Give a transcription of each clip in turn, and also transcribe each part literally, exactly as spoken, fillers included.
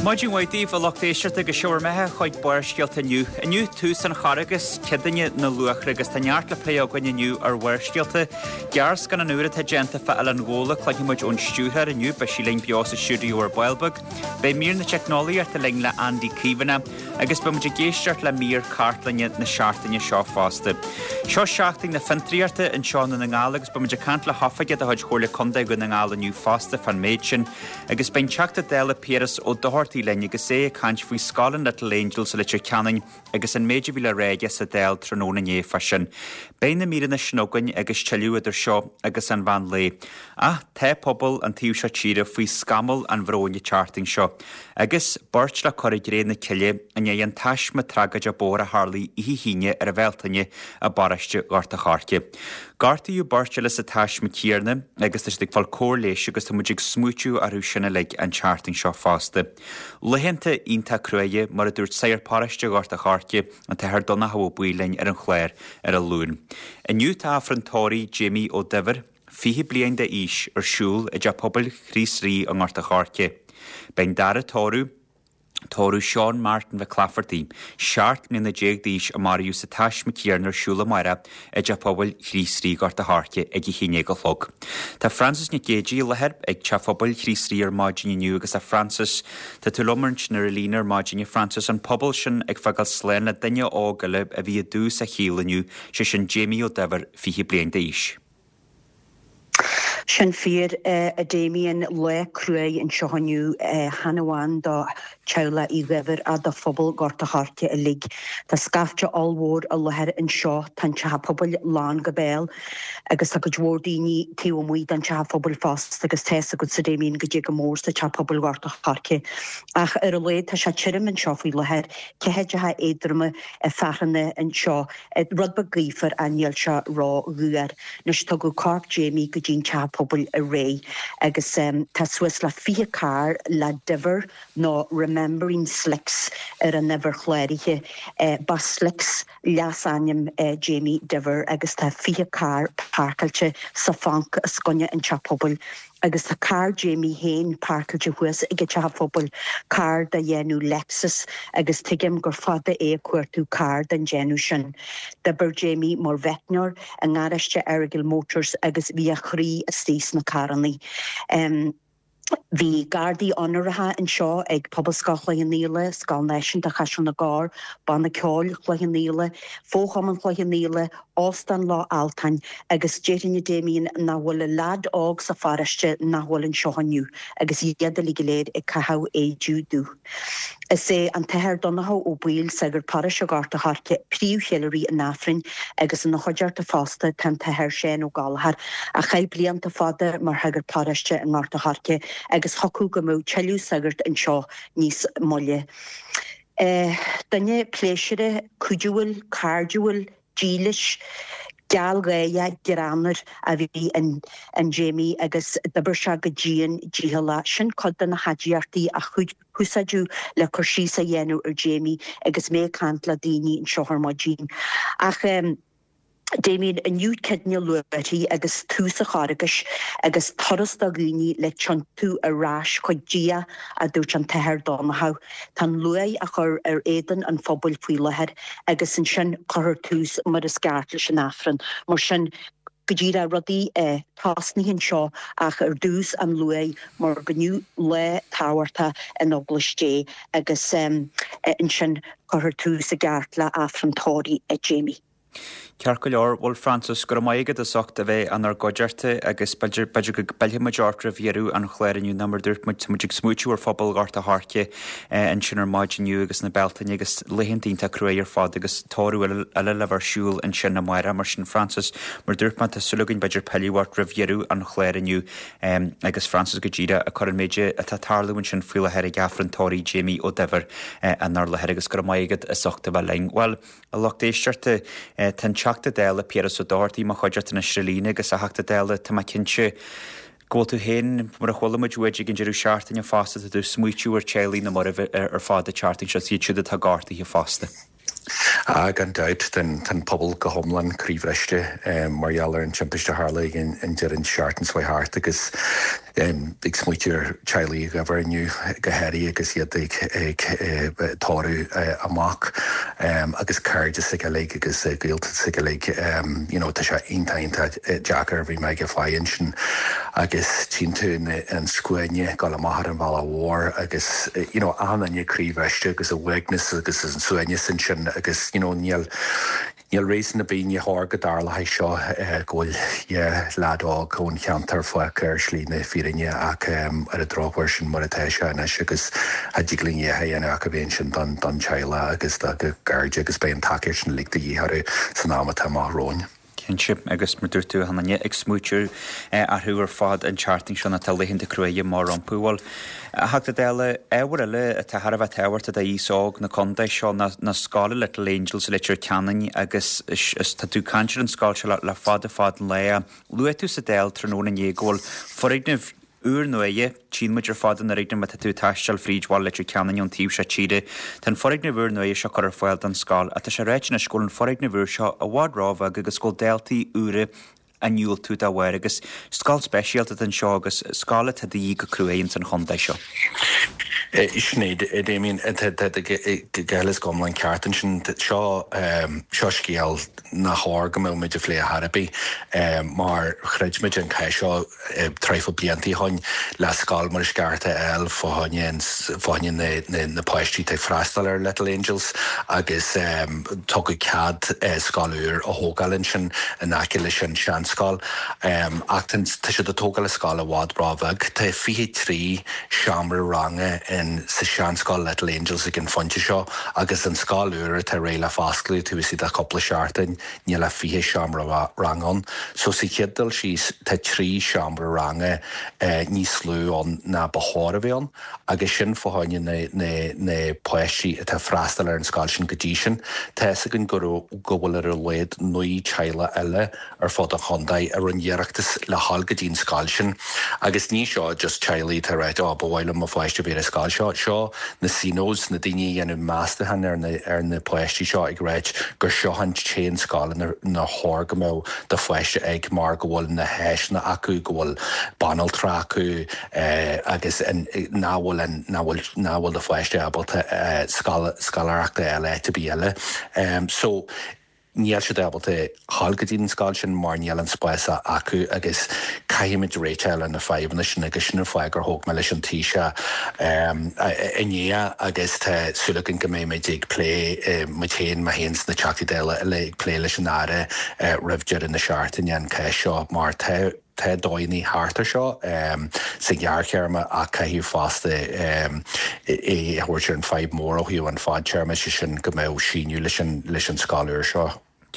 Maidin mhaith daoibh a lucht éisteachta agus sibh ar bhur mbeatha chuig Barrscéalta inniu. Inniu tús an Charghais, Céadaoine na Luachra agus tá neart le plé againn inniu ar Bharrscéalta. Gearrscannán úr atá déanta fá Oileán Ghabhla cluinfidh muid ón stiúrthóir inniu beidh sí linn beo sa stiúideo ar ball beag. Beidh mír na teicneolaíochta linn le Andy Caomhánach agus beidh muid ag éisteacht le mír cartlainne na seachtaine seo fosta. Seo seachtain na fiontraíochta anseo i nDún na nGall agus beidh muid ag caint le hoifigeach de chuid Chomhairle Contae Dhún na nGall inniu fosta fán méid sin, agus beidh an Teachta Dála Piaras Ó Dochartaigh linn agus é ag caint faoi Scoil an Little Angel sa Leitir Ceanainn agus an méid a bhí le rá aige sa Dáil tráthnóna inné fá sin. Beidh na míreanna sin againn agus tuilleadh idir seo agus an mheán lae. Ach tá pobal an taobh seo tíre faoi scamall an bhróin an tseachtain seo, agus beirt le cur i gcré na cille i ndiaidh an taisme tragóide bóthair a tharlaigh oíche hAoine ar an Bhealtaine i bparóiste Ghort a' Choirce. Gortaíodh beirt eile sa taisme céanna agus tá siad ag fáil cóir leighis agus tá muid ag smaoitiú orthu sin uilig an tseachtain seo fosta. Laethanta iontach cruaidh mar a dúirt Sagart Paróiste Ghort a' Choirce an tAthair Donnchadh Ó Baoill linn ar an chlár ar an Luan. Inniu tá Aifreann tórraimh Jamie Ó Duibhir, fiche bliain d'aois ar siúl i dteach pobail Chríost Rí i nGort a' Choirce. Beidh an dara tórramh Tórramh Seán Martin Mhic Laifeartaigh, seacht mbliana déag d'aois a maraíodh sa taisme céanna ar siúl amárach i dteach pobail Chríost Rí Gort a' Choirce ag a haon déag a chlog. Tá Frances Nic Géadaigh i láthair ag teach pobail Chríost Rí ar maidin inniu agus a Frances tá tú liom ansin ar an líne ar maidin a Frances an pobal sin ag fágáil slán le duine óg eile a bhí i dtús a shaoil inniu, sé sin Jamie Ó Duibhir fiche bliain d'aois. Sin fíor a Damien lá cruaidh anseo inniu chan amháin do theaghlach Uí Dhuibhir ach do phobal Ghort a' Choirce uilig. Tá scaifte ollmhór i láthair anseo tá an teach pobail lán go béal agus tá cuid mhór daoine taobh amuigh den teach pobail fosta agus tá a fhios agat a Damien goidé go mór sa teach pobail Ghort a' Choirce. Ach ar a laghad tá sé tirim anseo faoi láthair ceathaideacha éadroma fearthainne anseo rud beag gaofar ach níl sé rófhuar. Anois tugadh corp Jamie go dtí an teach pobail aréir agus um, tá suas le fiche carr le Diver nó Remembering Slicks ar an uimhir chláraithe uh, ba Slicks leasainm uh, Jamie Diver agus tá fiche carr páirceáilte sa phanc os coinne an teach pobail agus tá carr Jamie féin páirceáilte thuas ag an teach pobail carr de dhéanamh Lexus agus tuigim gur fada é ag cuartú carr den déanamh sin. D'oibir Jamie mar mheicneoir i ngaráiste Errigal Motors agus bhí a chroí istigh sna carranna. Um, Bhí gardaí onóracha anseo ag Pobalscoil Chloich Cheann Fhaola, Scoil Náisiúnta Chaiseal na gCorr, Banna Ceoil Chloich Cheann Fhaola, Fóchumann Chloich Cheann Fhaola, Óstán Loch Altáin agus déarfainn a Damien nach bhfuil leaid óg sa pharóiste nach bhfuil anseo inniu agus iad uilig go léir ag caitheamh éide dubh. Is é an tAthair Donnchadh Ó Baoill sagart paróiste Ghort a' Choirce príomhcheiliúraí an Aifrinn agus ina chuideachta fosta tá an tAthair Seán Ó Gallchóir a chaith blianta fada mar shagart paróiste i nGort a' Choirce agus thiocfadh go mbeadh tuilleadh sagart anseo níos moille. Uh, duine pléisiúrtha cuidiúil cairdiúil dílis gealgháireach greannmhar a bhí in, in Jamie agus d'oibir sé go dian dícheallach sin cuid de na haidiachtaí a úsáideadh le cur síos a dhéanamh ar Jamie agus mé ag caint le daoine anseo ar maidin. Ach um, Damien inniu Céadaoine na Luachra agus tús an Charghais agus turas do dhaoine le tiontú ar ais chuig Dia a dúirt an tAthair Donnchadh. Tá an luaith á chur ar éadan an phobail faoi láthair agus ansin cuirfear tús mar is ceart leis an Aifreann. Mar sin go dtí ra rudaí eh, tosnaithe anseo ach ar dtús an luaith mar go inniu lá tábhachtach in Eaglais Dé agus um, ansin cuirfear tús i gceart le Aifreann tórraimh ag Jamie. Ceart go leor bhuel Frances go raibh maith agat as ucht a bheith inár gcuideachta agus b'fhéidir go bpillfidh muid ort roimh dheireadh an chláir inniu ná mar dúirt muid muid ag smaoitiú ar phobal Ghort a' Choirce ansin ar maidin inniu agus na Bealtaine agus laethanta iontach cruaidh ar fad agus tórramh eile le bheith ar siúl ansin amárach mar sin Frances mar dúirt mé tá súil againn b'fhéidir pilleadh ort roimh dheireadh an chláir inniu agus Frances go díreach ag cur an méid atá ag tarlú ansin faoi láthair ag Aifreann tórraimh Jamie Ó Duibhir inár láthair agus go raibh maith agat as ucht a bheith linn. Well a lucht éisteachta tá an Teachta Dála Piaras Ó Dochartaigh i mo chuideachta anois ar líne agus a Theachta Dála tá mé cinnte go bhfuil tú féin mar a chuala muid uait ag an deireadh seachtaine fosta tá tú ag smaoitiú ar teaghlaigh na marbh ar fad an tseachtain seo iad siúd atá gortaithe fosta. Ah, gan dabht tá an pobal go hiomlán croíbhriste mar gheall ar an timpiste a tharla an deireadh seachtaine seo thart agus ag smaoitiú ar teaghlaigh Uí Dhuibhir inniu go háirithe agus iad ag ag tórramh a mac agus cairde s'aige uilig agus gaolta s'aige uilig you know tá sé iontach iontach deacair bhí mé ag fáil ansin agus tchíonn tú an scuaine ag dul amach ar an bhealach mhór agus you know achan duine croíbhriste agus a uaigneas agus an suaimhneas ansin agus you know níl níl réasún ar bith ní chóir go dtarlódh seo go bhfuil yeah leaid óg ón cheantar fágtha ar shlí na fírinne ach ar an drochuair sin mar atá sé anois agus cha dtig linn a dhéanamh ach a bheith ansin don don teaghlach agus dá gcairde agus beidh an tacaíocht sin uilig de dhíth orthu san am atá amach romhainn. Cinnte agus mar dúirt tú achan duine ag smaoitiú orthu ar fad an tseachtain seo atá laethanta cruaidhe amach rompu. Bhuel, a Theachta Dála, ábhar eile atá thar a bheith tábhachtach d'aos óg na contae seo ná na scoile Little Angels i Leitir Ceanainn agus is tá tú ag caint ar an scoil seo le, le fada fada an lá. Luaigh tú sa Dáil tráthnóna inné go bhfuil foirgneamh úr nuaidhe, tchíonn muid ar fad an fhoirgneamh má tá tú ag taisteal fríd bhaile Leitir Ceanainn ón taobh seo tíre. Tá an foirgneamh úr nuaidhe seo curtha ar fáil don scoil, ach tá sé ráite anois go bhfuil an foirgneamh úr seo i bhfad róbheag agus go bhfuil daltaí úra á ndiúltú dá bharr agus scoil speisialta atá anseo agus scoil atá de dhíth go cruaidh ins an chontae seo. Sin é Damien go huile is go hiomlán ceart ansin seo seo scéal nach chóir go mbeadh muid ag plé ar bith mar chreid muid an cás seo traidhfil blianta ó shin le scoil mar is ceart a fháil fá choinne fá choinne na páistí atá ag freastal ar Little Angels agus tugadh cead scoil úr a thógáil ansin in aice leis an seanscoil ach tá siad ag tógáil scoil i bhfad róbheag tá fiche trí seomra ranga in sa seanscoil Little Angels ag an phointe seo agus an scoil úr atá réidh le foscladh tú is iad a cúpla seachtain níl ach fiche seomra ranga ann. So sa chéad dul síos tá trí seomra ranga eh, níos lú ann ná ba chóir a bheith ann, agus sin fá choinne na, na, na páistí atá freastal ar an scoil sin go dtí sin. Tá againn go go bhfuil ar a laghad naoi teaghlach eile ar fud an chontae a rinne iarratas le dhul go dtí an scoil sin. Agus ní seo just teaghlaigh atá ag rá á ba mhaith liom mo pháiste bheith ar an scoil seo seo na SENOs na daoine a dhéanamh meastachán ar na, ar na páistí seo ag rá gur seo an t-aon scoil inar chóir go mbeadh do pháiste ag mar go bhfuil na háiseanna acu go bhfuil banaltra acu eh, agus nach bhfuil nach bhfuil nach bhfuil do pháiste ábalta eh, scoláireachta eile to bí eile. Um, so níl siad ábalta dhul go dtí an scoil sin mar níl an spás acu agus caithfimid réiteach le na fadhbanna sin agus sin an fáth gur thóg mé leis an Taoiseach inné agus tá súil agam go mbeimid ag plé muid féin mé féin sna Teachtaí Dála eile ag plé leis an Aire roimh deireadh na seachtaine an cás seo mar tá tá dóigheanna thart ar seo um, sa ghearrthéarma ach caithfidh fosta um, é thabhairt ar an fadhb mór ó thaobh an fadtéarma sé sin go mbeadh síneadh leis an leis an scoil úr seo.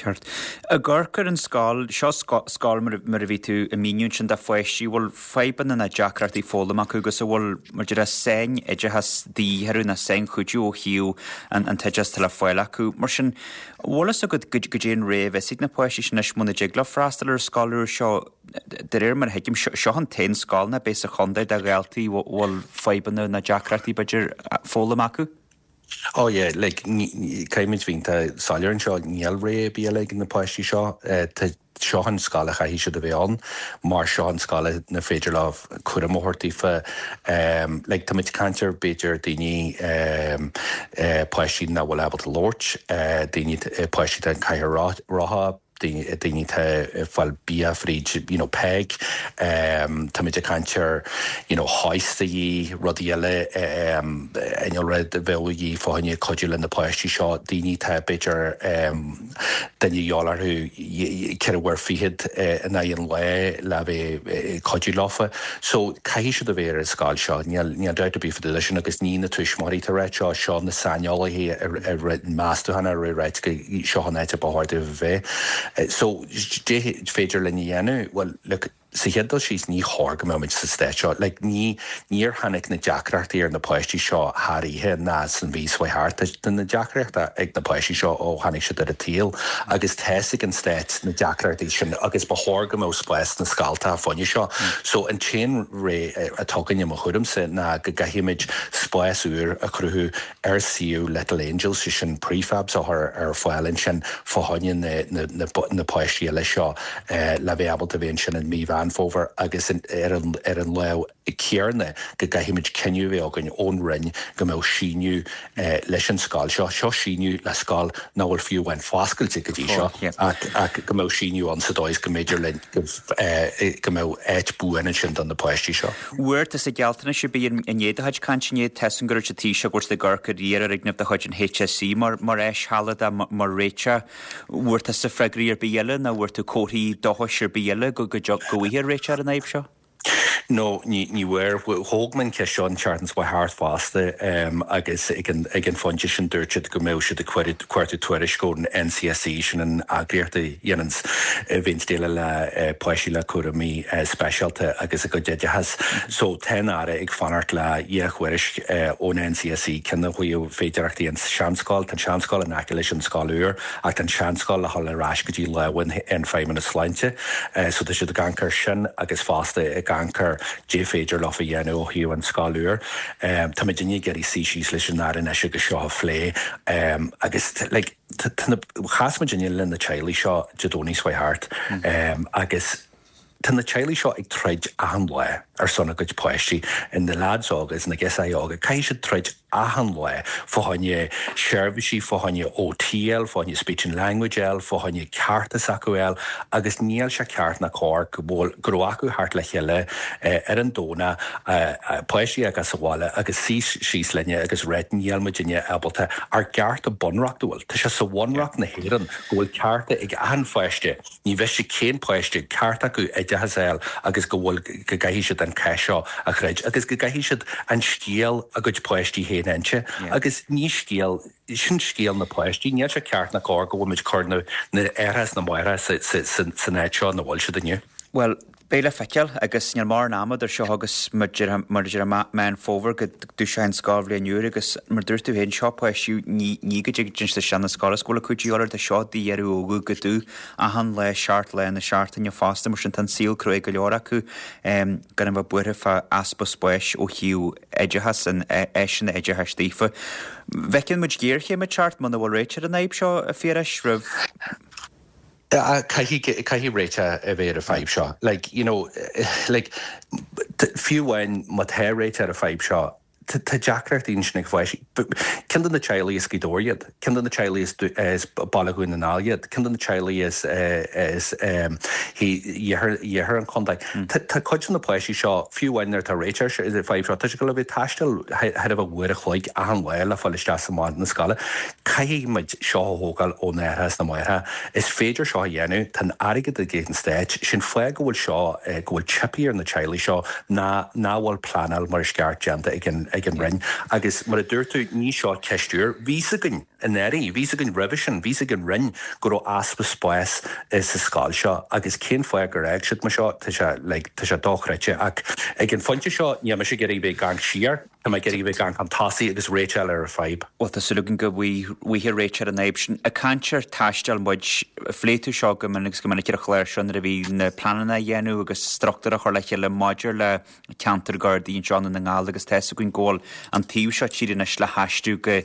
Ceart. Ag amharc ar an scoil seo scoil mar a bhí tú ag míniú sin de pháistí bhfuil fadhbanna na deacrachtaí foghlama acu agus a bhfuil mar de sainoideachas de dhíth na sainchuidiú ó thaobh an an t-oideachas le fáil acu. Mar sin bhfuil fhios agat go dtéann réamh na páistí sin is muna dtig leo freastal ar scoil úr seo de réir mar a thuigim seo an t-aon scoil na b'é sa chontae do dhaltaí bhfuil fadhbanna na deacrachtaí b'fhéidir foghlama acu? Oh yeah, like caithfimid bheith soiléir anseo níl rogha ar bith ag na páistí seo seo an scoil a chaithfidh siad a bheith ann mar seo an scoil inar féidir leo cúram a thabhairt daofa um, like, tá muid ag caint ar b'fhéidir daoine um, uh, páistí nach bhfuil ábalta labhairt, uh, daoine uh, páistí an cathaoir rotha daoine atá fáil bia fríd you know, PEG um, Tá muid ag caint ar you know, hoistaí rudaí eile um, rud a bheadh fá choinne cuidiú le na páistí seo daoine atá b'fhéidir um, duine orthu ceithre uair fichead in aghaidh an lae le bheith cuidiú leofa. So caithfidh siad a bheith ar an scoil seo níl dabht ar bith faoi sin agus ní na tuismitheoirí atá ag rá seo seo na saineolaithe ar meastachán ar rá go seo an áit ba chóir a bheith. So féidir linn a dhéanamh well look Sa chéad dul síos ní chóir go mbeadh muid sa staid seo. Like, ní níor tháinig na deacrachtaí ar na páistí seo thar oíche ná san mhí seo thart. Tá na deacrachtaí ag na páistí seo ó tháinig siad ar an tsaol agus tá a fhios ag an stát na deacrachtaí sin agus ba chóir go mbeadh spás sna scoltacha fá choinne seo. So an t-aon réiteach atá againn i mo thuairimse ná go gcaithfimid spás úr a chruthú ar suíomh Little Angels, sé sin prefabs a chur ar fáil ansin fá choinne na, na, na, na páistí eile seo eh, le bheith ábalta bheith ansin in mí Mheán Fómhair agus ar an, ar an lámh chéanna go gcaithfimid cinneadh a bheith againn ón Roinn go mbeadh síneadh eh, leis an scoil seo. Seo síneadh le scoil nach bhfuil fiú amháin foscailte go dtí seo ach, ach go mbeadh síneadh ann sa dóigh is go mb'fhéidir linn go, eh, go mbeadh áit buan ansin don na páistí seo. Bhfuair tusa gealltanais ar bith inné do chuid cainte inné tá a fhios agam go raibh an Taoiseach ag amharc ar iarfhoirgneamh de chuid an HSE mar mar áis shealadach mar réiteach. Bhfuair tusa freagraí ar bith eile nó bhfuair tú comharthaí dóchais ar bith eile go go go bhfaighfí réiteach ar an fhadhb seo? No, ní ní bhfuair thóg mé an cheist seo an tseachtain seo thart fosta um, agus ag an, ag an phointe sin dúirt siad go mbeadh siad ag cuartú tuairisc ón NCSE sin an eagraíocht a dhéanann a bhíonn déileáil le uh, páistí le cúraimí uh, speisialta agus a gcuid oideachas. So tá an tAire ag fanacht le dhá thuairisc uh, ón NCSE cén chaoi féidireachtaí an seanscoil, tá seanscoil in aice leis an scoil úr ach an seanscoil le dhul ar ais go dtí lámha an Feidhmeannas Sláinte. Uh, so tá siad ag amharc air sin agus fosta ag amharc ar cad féidir leo a dhéanamh ó thaobh an scoil úr. Um, Tá muid ag iarraidh suí síos leis an Aire anois agus seo a phlé um, agus like, chas muid le na teaghlaigh seo Dé Domhnaigh seo thart um, agus Tá na teaghlaigh seo ag troid achan lá ar son a gcuid páistí in na lads agus na girseachaí óga caithfidh siad troid achan lá fá choinne seirbhísí fá choinne OTL, fá choinne speech and language L, fá choinne cearta s'acu L, agus níl sé ceart ná cóir go bhfuil go raibh acu thart le chéile eh, ar an Domhnach eh, eh, páistí agus sa bhaile agus suí síos linne agus rá níl muidinne ábalta ár gcearta bunreachtúil. Tá sé sa bhunreacht na hÉireann go bhfuil cearta ag achan pháiste, ní mhiste cén páiste ceart acu oideachas a fháil agus go bhfuil go gcaithfidh siad an cath seo a throid agus go gcaithfidh siad an scéal a gcuid páistí féin a inse agus ní scéal sin scéal na páistí, níl sé ceart ná cóir go bhfuil muid cur na na aithreacha na máithreacha san áit seo ina bhfuil siad inniu. Well, beidh le feiceáil agus níl mórán ama idir seo agus mar deir Meán Fómhair go dtús an scoilbhliain úr agus mar dúirt tú féin seo páistí ní ní go dtig sa seana scoil is go bhfuil acu de seo d'iarraidh óga go dú achan lá seacht lá na seachtaine fosta mar sin tá an saol cruaidh go leor acu um, gan a bheith buartha fá easpa spáis ó thaobh oideachas an áiseanna oideachais daofa. Bhfeiceann muid géarchéim ag teacht muna bhfuil réiteach ar an fhadhb seo a Phiarais roimh Caithfidh caithfidh réiteach a bheith ar an fhadhb seo. Like, you know, like, fiú amháin má tá réiteach ar an fhadhb seo, tá deacrachtaí sin ag páistí. Ceann de na teaghlaigh is Gaoth Dobhair iad, ceann de na teaghlaigh is Baile Dhún na nGall iad, ceann de na teaghlaigh is iarthar an chontae. Tá cuid de na páistí seo fiú amháin nuair atá réiteach ar an fhadhb seo, tá sé go le bheith taisteal thar a bheith uair a chloig achan lá le fáil isteach sa na scoile. Caithfidh muid seo a thógáil ó na haithreacha na máithreacha. Is féidir seo a dhéanamh tá airgead ag an stát sin fáth go bhfuil seo go bhfuil teipthe ar na teaghlaigh seo ná nach bhfuil pleanáil mar is ceart déanta ag an ag an Roinn. Agus mar a dúirt tú ní seo ceist úr, bhí a fhios againn anuraidh, bhí a fhios againn roimhe sin, bhí a fhios ag an Roinn go raibh easpa spáis sa scoil seo agus cén fáth gur fhág siad mar seo tá sé like, tá sé dochreidte ach ag an phointe seo níl mise ag iarraidh bheith ag amharc siar Tá mé ag iarraidh bheith ag amharc chun tosaigh agus réiteach ar an fhadhb. Well tá súil againn go bhfaighfí réiteach ar an fhadhb sin. Ag caint ar taisteal muid phléigh tú seo go minic agus go minic ar an chlár seo nuair a bhí na pleananna á dhéanamh agus struchtúr a chur le chéile maidir le ceantar Gardaí anseo i nDún na nGall agus tá a fhios againn go bhfuil an taobh seo tíre anois le haistriú go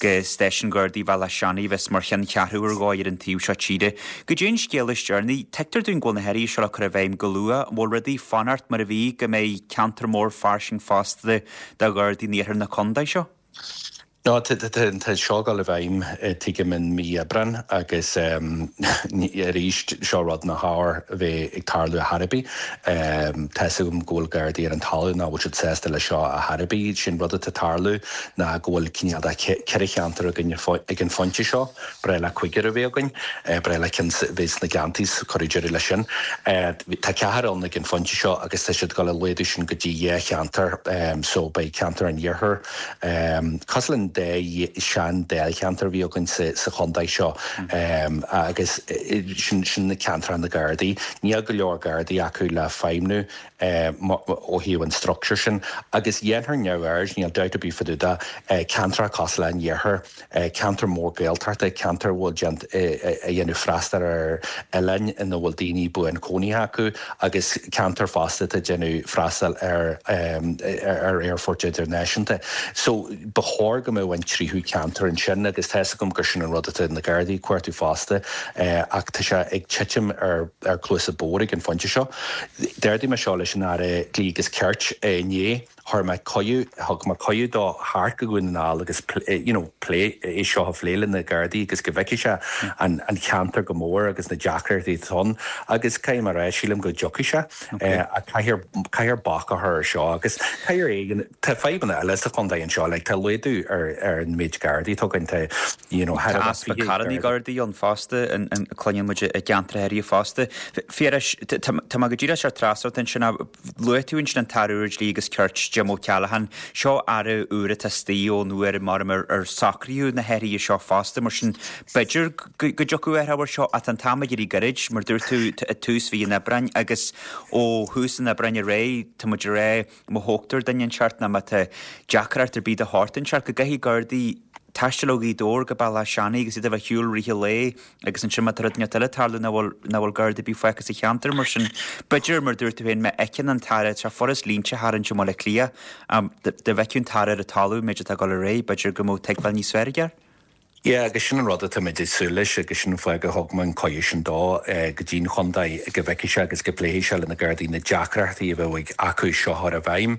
go stáisiún Gardaí Bhealach Seanaidh bheas mar cheanncheathrú ar dhóigh ar an taobh seo tíre. Go dtí an scéal is deireanaí, tuigtear dúinn go bhfuil na hathruithe seo le cur i bhfeidhm go luath, an bhfuil rudaí fanacht mar a bhí go mbeidh ceantar mór fairsing fosta de Ghardaí in iarthar na contae seo? No tá seo ag dul i bhfeidhm tuigim in mí Aibreán agus arís seo rud nach chóir a bheith ag tarlú ar chor ar bith. Tá a fhios agam go bhfuil Gardaí ar an talamh nach bhfuil siad sásta le seo ar chor ar bith sin rud atá ag tarlú ná go bhfuil cineál de ceithre cheantar againn ag an phointe seo, ba bhreá le cúigear a bheith againn, ba bhreá le cinn bheith sna gceantaí cuireadh deireadh leis sin. Tá ceathrar ann ag an phointe seo agus tá siad ag dul ag laghdú sin go dtí dhá cheantar so beidh ceantar an iarthair cosúil an dá sean-dáilcheantar a bhí againn sa sa chontae seo agus sin sin na ceantracha na Gardaí. Níl go leor Gardaí acu le feidhmiú ó thaobh an structure sin agus dhéanfar neamhaird, níl dabht ar bith fá dtaobh de, ceantracha cosúil le an Iarthar, ceantar mór Gaeltachta, ceantar a bhfuil déant a dhéanamh freastal ar oileáin ina bhfuil daoine buanchónaithe acu agus ceantar fosta atá ag déanamh freastal ar ar aerfort idirnáisiúnta. So ba chóir go mbeadh an tríú ceantar ansin agus tá 'fhios agam gur sin an rud atá na Gardaí ag cuartú fosta ach tá sé ag titim ar ar cluasa bodhar ag an phointe seo. D'ardaigh mé seo leis an Aire Dlí agus Cirt inné. Chuir mé cuireadh, thug mé cuireadh dó theacht go Dhún na nGall agus you know plé é seo a phlé le na Gardaí agus go bhfeicfidh sé an an cheantar go mór agus na deacrachtaí atá ann agus caithfidh mé a rá sílim go dtiocfaidh sé ach caithfear caithfear bac a chur ar seo agus caithfear éigin tá fadhbanna eile sa chontae anseo like tá laghdú ar ar an méid Gardaí atá againn tá you know thar Tá easpa carrannaí Gardaí ann fosta an an cluineann muid i gceantracha áirithe fosta. Phiarais, tá mé go díreach ar trasna ansin luaigh tú ansin an tAire úr Dlí agus Cirt, Jim O'Callaghan. Seo aire úr atá istigh ón uair mar ar ar socraíodh na hathruithe seo fosta, mar sin b'fhéidir go dtiocfadh athrú air seo ach tá an t-am ag éirí gairid, mar dúirt tú i tús mhí an Aibreáin agus ó thús an Aibreáin ar aghaidh tá muid ag rá má thógtar duine inteacht nó má tá deacracht ar bith de shórt inteacht go gcaithfidh Gardaí taisteal ó Ghaoth Dobhair go Béal Átha Seanaidh agus iad a bheith ar shiúl rith an lae agus ansin má tá rud inteacht eile ag tarlú nach bhfuil nach bhfuil Garda ar bith fágtha sa cheantar mar sin b'fhéidir mar dúirt tú féin má fheiceann an tAire tá furast línte a tharraingt i mBaile Átha Cliath dá bhfeicfeadh an tAire ar an talamh an méid atá ag dul ar aghaidh b'fhéidir go mbeadh tuigbheáil níos fearr aige air. Yeah, agus sin an rud atá muid ag súil leis agus sin an fáth gur thug mé an cuireadh sin dó go dtí an chontae go bhfeicfidh sé agus go bpléifidh sé le na Gardaí na deacrachtaí a bheadh acu seo a chur i bhfeidhm.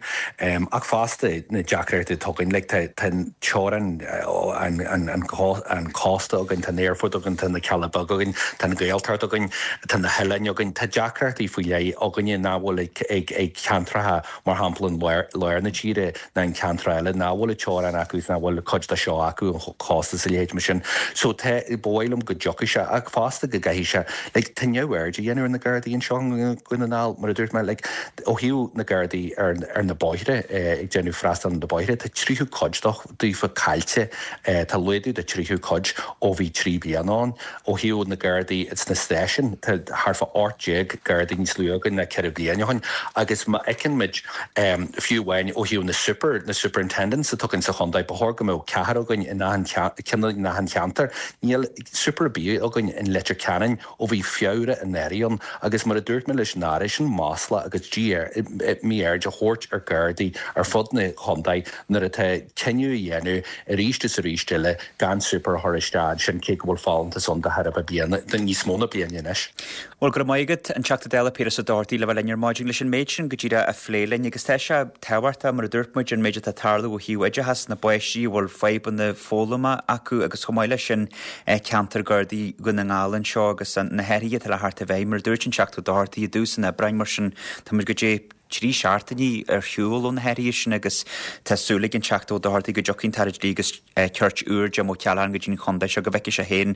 Ach fosta na deacrachtaí atá againn, like tá tá an teorainn an an an an cósta againn, tá an aerfort againn, tá na Cealla Beaga againn, tá an Ghaeltacht againn, tá na hoileáin againn, tá deacrachtaí faoi leith againne nach bhfuil ag ag ag ceantracha mar shampla an lár lár na tíre ná an ceantar eile nach bhfuil an teorainn acu is nach bhfuil cuid de seo acu an cósta is a leithéid mar sin. So tá, ba mhaith liom go dtiocfaidh sé ach fosta go gcaithfidh sé, like tá neamhaird á dhéanamh ar na Gardaí anseo i nDún na nGall mar a dúirt mé, like ó thaobh na Gardaí ar ar na bóithre ag déanamh freastal ar na bóithre, tá tríú cuid daofa caillte, tá laghdú de tríú cuid ó bhí trí bliana ann. Ó thaobh na Gardaí sna stáisiúin, tá thart fá ocht déag Gardaí níos lú againn ná ceithre bliana ó shin agus má fheiceann muid fiú amháin ó thaobh na super, na superintendents atá againn sa chontae, ba chóir go mbeadh ceathrar againn in achan ceann in achan cheantar. Níl super ar bith againn in Leitir Ceanainn ó bhí Feabhra anuraidh ann agus mar a dúirt mé leis an Aire, sin masla agus mí-aird a thabhairt ar Ghardaí ar fud na chontae nuair atá cinneadh á dhéanamh arís is arís eile gan super a chur isteach ansin cé go bhfuil folúntas ann de thairbhe bliana, níos mó ná bliain anois. Bhuel, go raibh maith agat, an Teachta Dála Piaras Ó Dochartaigh, le bheith linn ar maidin leis an méid sin go díreach a phlé linn agus tá sé tábhachtach, mar a dúirt muid, an méid atá ag tarlú ó thaobh oideachas na bpáistí a bhfuil fadhbanna foghlama acu agus chomh maith leis sin ceantar Gardaí Dhún na nGall anseo agus na hathruithe atá le theacht i bhfeidhm, mar a dúirt an Teachta Ó Dochartaigh i dtús an Aibreáin, mar sin tá muid go dté trí seachtainí ar shiúl ó na hathruithe sin agus tá súil ag an Teachta Ó Dochartaigh go dtiocfaidh an tAire Dlí agus Cirt úr Jim O'Callaghan go dtí an chontae seo go bhfeicfidh sé féin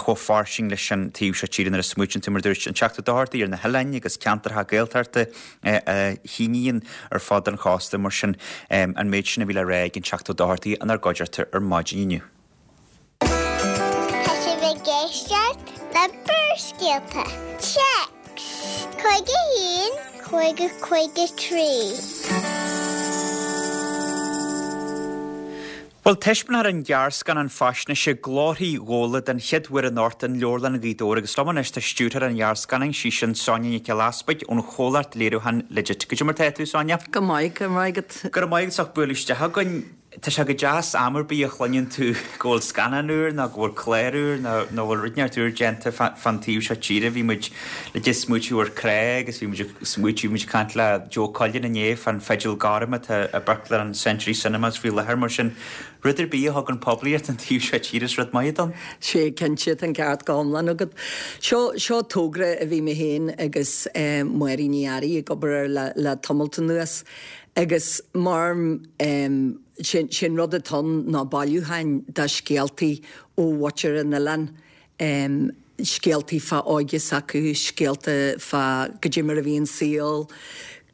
chomh fairsing leis an taobh seo tíre nuair a smaoitíonn tú mar a dúirt an Teachta Ó Dochartaigh ar na hoileáin agus ceantracha Gaeltachta a shíníonn ar fud an chósta mar sin an méid sin a bhí le rá ag an Teachta Ó Dochartaigh inár gcuideachta ar maidin inniu. Tá sibh ag éisteacht le Barrscéalta. Téacs cúig a haon, cúig a cúig a trí. Bhuel, taispeánfar an gearrscannán faisnéise Glórthaí Ghabhla den chéad uair anocht in Leabharlann Ghaoth Dobhair agus liom anois tá stiúrthóir an ghearrscannáin, sí sin Sonia Nic Giolla Easpaig ón chomhlacht léiriúcháin Legit. Goidé mar tá tú, Sonia? Go maith, go raibh maith agat. Go raibh maith agat as ucht bualadh isteach chugainn. Tá sé go deas am ar bith a chluineann tú go bhfuil scannán úr nó go bhfuil clár úr nó nó bhfuil rud inteacht úr déanta fán taobh seo tíre. Bhí muid le ag smaoitiú ar Crá agus bhí muid ag smaoitiú, bhí muid ag caint le Joe Cullen inné fán Fidil Gorm atá i bpictiúrlann Century Cinemas faoi láthair. Mar sin, rud ar bith a thugann poiblíocht don taobh seo tíre is rud maith atá ann. Sea, cinnte, tá an ceart go hiomlán agat. Seo, seo togra a bhí mé féin agus Máirín Ní Fhearraigh ag obair air le, le tamalt anuas. Agus mar sé an rud atá ann ná bailiúcháin de scéaltaí ó mhuintir an oileáin, scéaltaí fá óige s'acu, scéalta fá goidé mar a bhí an saol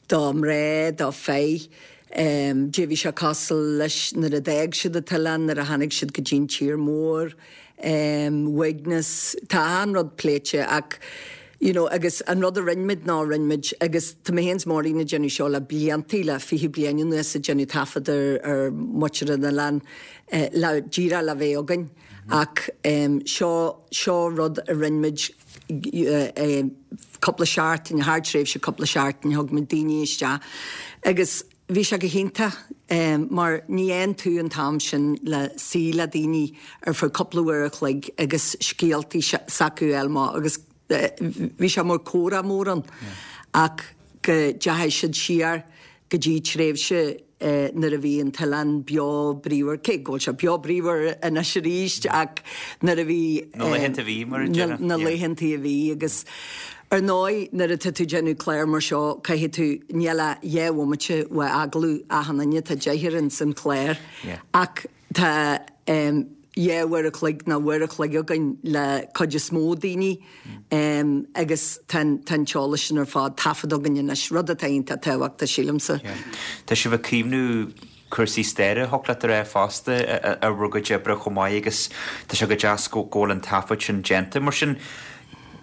do mhná, do fir, Dé bhí sé cosúil leis nuair a d'fhág siad an t-oileán, nuair a tháinig siad go dtí'n tír mór, uaigneas, tá an rud pléite ach you know, agus an rud a rinne muid ná rinne muid agus tá mé féin is Máirín ag déanamh seo le bliantaí le fiche bliain anuas ag déanamh taifead ar ar mhuintir an oileáin le díreach le bheith againn ach seo seo rud a rinne muid cúpla seachtain, thar tréimhse cúpla seachtain thug muid daoine isteach agus bhí sé go hiontach mar ní fhaigheann tú an t-am sin le suí le daoine ar feadh cúpla uair a chloig agus scéaltaí s'acu a fháil amach agus bhí sé mar comhrá mór ann ach go dteachaigh siad siar go dtí tréimhse nuair a bhí an t-oileán beo bríomhar, cé go bhfuil sé beo bríomhar anois arís ach nuair a bhí Na laethanta a bhí, mar a déarfá. Na laethanta a bhí agus ar ndóigh nuair atá tú ag déanamh clár mar seo caithfidh tú, níl ach dhá bhomaite uaidh agallamh achan duine, tá deichniúr ins an chlár ach tá dhá uair a chloig nó uair a chloig againn le cuid is mó daoine agus tá an t-eolas sin ar fad taifeadta againn anois, rud atá iontach tábhachtach sílimse. Tá sibh ag caomhnú cúrsaí staire, thiocfadh leat a rá fosta, ar bhur gcuid oibre chomh maith agus tá sé go deas go bhfuil an taifead sin déanta. Mar sin,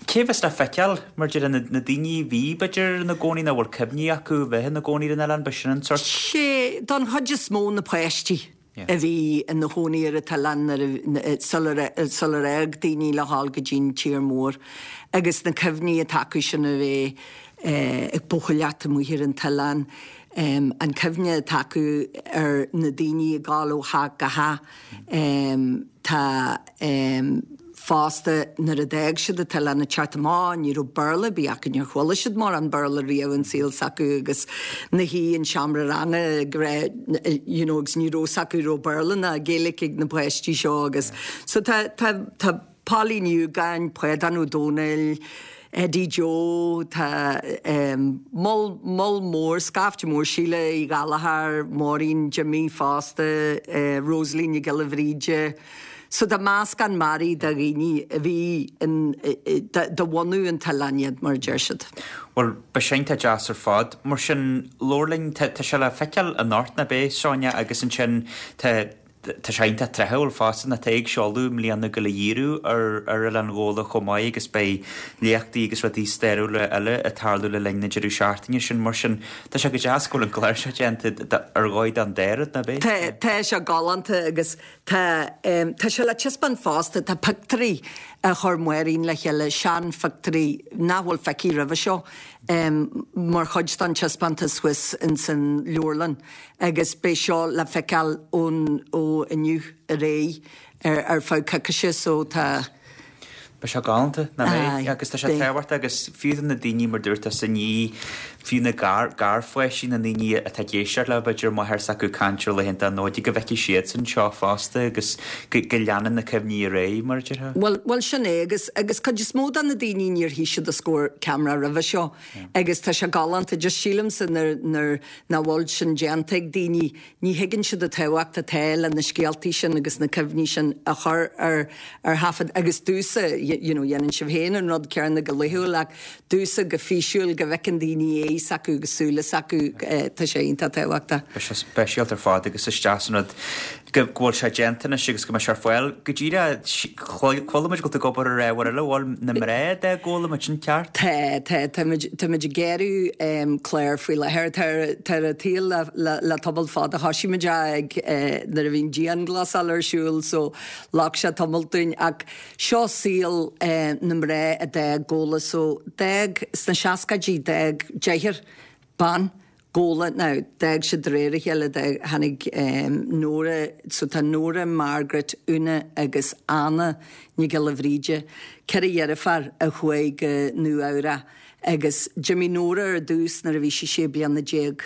cé a bheas le feiceáil, mar a déarfá, na daoine a bhí, b'fhéidir, ina gcónaí nó a bhfuil cuimhní acu a bheith ina gcónaí ar an oileán, b'shin an sórt. Sé, don chuid is mó na páistí. a bhí ina chónaí ar an t-oileán sular sular fhág daoine le dhul go dtí'n tír mór agus na cuimhní atá acu sin a bheith ag buachailleacht amuigh ar an t-oileán, an cuimhne atá acu ar na daoine ag dul ó theach go theach. Tá. Fosta, nuair a d'fhág siad an t-oileán ag teacht amach, ní raibh Béarla ar bith acu, níor chuala siad mórán Béarla riamh an saol s'acu agus ina shuí in seomra ranga ag rá you know agus ní raibh 's acu raibh Béarla ná Gaeilge ag na páistí seo agus so tá tá tá Pauline Ní Dhúgáin, Pádán Ó Domhnaill, Eddie Joe, tá moll moll mór, scaifte mór, Síle Uí Ghallchóir, Máirín Jimmy fosta, Rosalie Nic Giolla Bhríde. So tá meascán mearaí de dhaoine a bhí in, de bhunadh an t-oileáin iad, mar a deir siad. Bhuel, beidh sé iontach deas ar fad. Mar sin, labhair linn, tá sé le feiceáil anocht, nach beidh, Sonia, agus ansin tá, tá sé iontach tráthúil fosta, nó tá ag seoladh i mbliana ag gabháil a dhíriú ar ar Oileán Ghabhla chomh maith agus beidh léachtaí agus rudaí stairiúla eile ag tarlú le linn na deireadh seachtaine sin. Mar sin, tá sé go deas go bhfuil an clár seo déanta ar dhóigh don dá rud, nach beidh? Tá, tá sé galánta agus Tá, tá sé le taispeáint fosta, tá pictiúirí a chuir Máirín le chéile, seanphictiúirí nach bhfuil feicthe roimhe seo, mar chuid den taispeántas thuas ins an leabharlann agus beidh seo le feiceáil ón, ó inniu ar aghaidh ar feadh coicíse so tá. Beidh sé galánta, nach mbeidh? Agus tá sé tábhachtach agus fiú do na daoine, mar dúirt tusa, ní, fiú na gar, garpháistí na ndaoine atá ag éisteacht leo, b'fhéidir, máthair s'acu ag caint ar laethanta na Nollag, go bhfeicfidh siadsan seo fosta agus go, go leanann na cuimhní ar aghaidh, mar a déarfá. Bhuel, bhuel sin é agus, agus cuid is mó de na daoine níor shuigh siad os comhair ceamara roimhe seo agus tá sé galánta, just sílimse nuair, nuair nach bhfuil sin déanta ag daoine, Ní thuigeann siad an tábhacht atá le na scéaltaí sin agus na cuimhní sin a chur ar ar thaifead agus domhsa, you know, dhéanann sibh féin an rud céanna go laethúil ach domhsa go físiúil go bhfeiceann daoine é s'acu agus súile s'acu, tá sé iontach tábhachtach. Beidh sé speisialta ar fad agus is deas an rud go bhfuil sé déanta anois agus go mbeidh sé ar fáil go díreach. Chuala muid go bhfuil tú ag obair ar ábhar eile, bhfuil na mná de Ghabhla muid sin ceart? Tá, tá, táimid, táimid ag gearradh clár faoi láthair, tá ar, tá ar an tsaol le, le, le tamall fada, thosaigh muid é ag, nuair a bhí an dianghlasáil ar siúl so ghlac sé tamall dúinn ach seo saol na mná a d'fhág Gabhla so d'fhág, sna seascaidí d'fhág deichniúr ban Gabhla, now d'fhág siad de réir a chéile, d'fhág, tháinig Nóra, so tá Nóra, Margaret, Úna agus Anna Nic Giolla Bhríde, ceithre dheirfiúr a chuaigh go Nua Eabhrac agus d'imigh Nóra ar dtús nuair a bhí sí sé bliana déag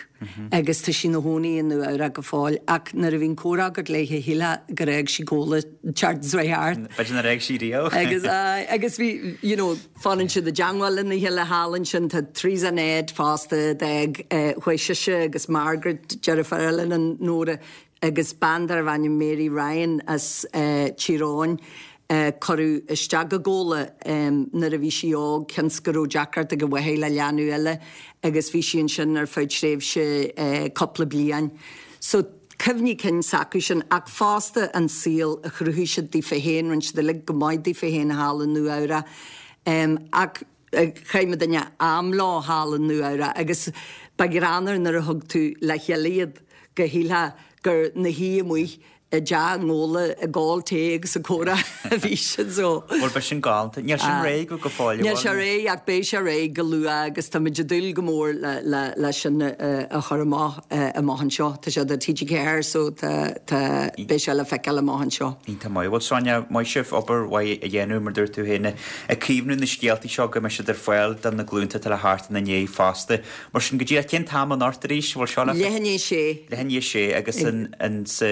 agus tá sí ina chónaí i Nua Eabhrac go fóill ach nuair a bhíonn comhrá agat léi shílfeá gur fhág sí Gabhla an tseachtain seo thart. B'fhéidir nár fhág sí riamh. Agus aye, agus bhí, you know, Fanann siad i dteangmháil lena chéile thall ansin. Tá Teresa Ned fosta, d'fhág, chuaigh sise agus Margaret, deirfiúr eile le Nóra, agus bean darbh ainm Mary Ryan as Tír Eoghain, Cuireadh isteach i gComhla nuair a bhí sí óg, cionn 's go raibh deacracht ag a mháthair le leanbh eile agus bhí sí ansin ar feadh tréimhse cúpla bliain. So cuimhní cinn s'acu sin ach fosta an saol a chruthaigh siad daofa féin, rinne siad uilig go maith daofa féin thall i Nua Eabhrac ach chaith muidinne am leo thall i Nua Eabhrac agus ba ghreannmhar nuair a thug tú le chéile iad go shílfeá gur 'na shuí amuigh i dteach i nGabhla ag ól tae agus ag comhrá a bhí siad so. Bhuel beidh sin galánta. Níl sin réidh go fóill, Níl sé réidh ach beidh sé réidh go luath agus táimid ag dúil go mór le le le sin a chur amach amach anseo. Tá sé do TG Ceathair so tá tá beidh sé le feiceáil amach anseo. Iontach maith. Bhuel Sonia, maith sibh obair mhaith a dhéanamh mar dúirt tú féin ag caomhnú na scéaltaí seo go mbeidh siad ar fáil do na glúnta atá le theacht ina ndiaidh fosta. Mar sin go díreach cén t-am anocht arís? Bhfuil seo le Leath i ndiaidh a sé. Leath i ndiaidh a sé agus an an sa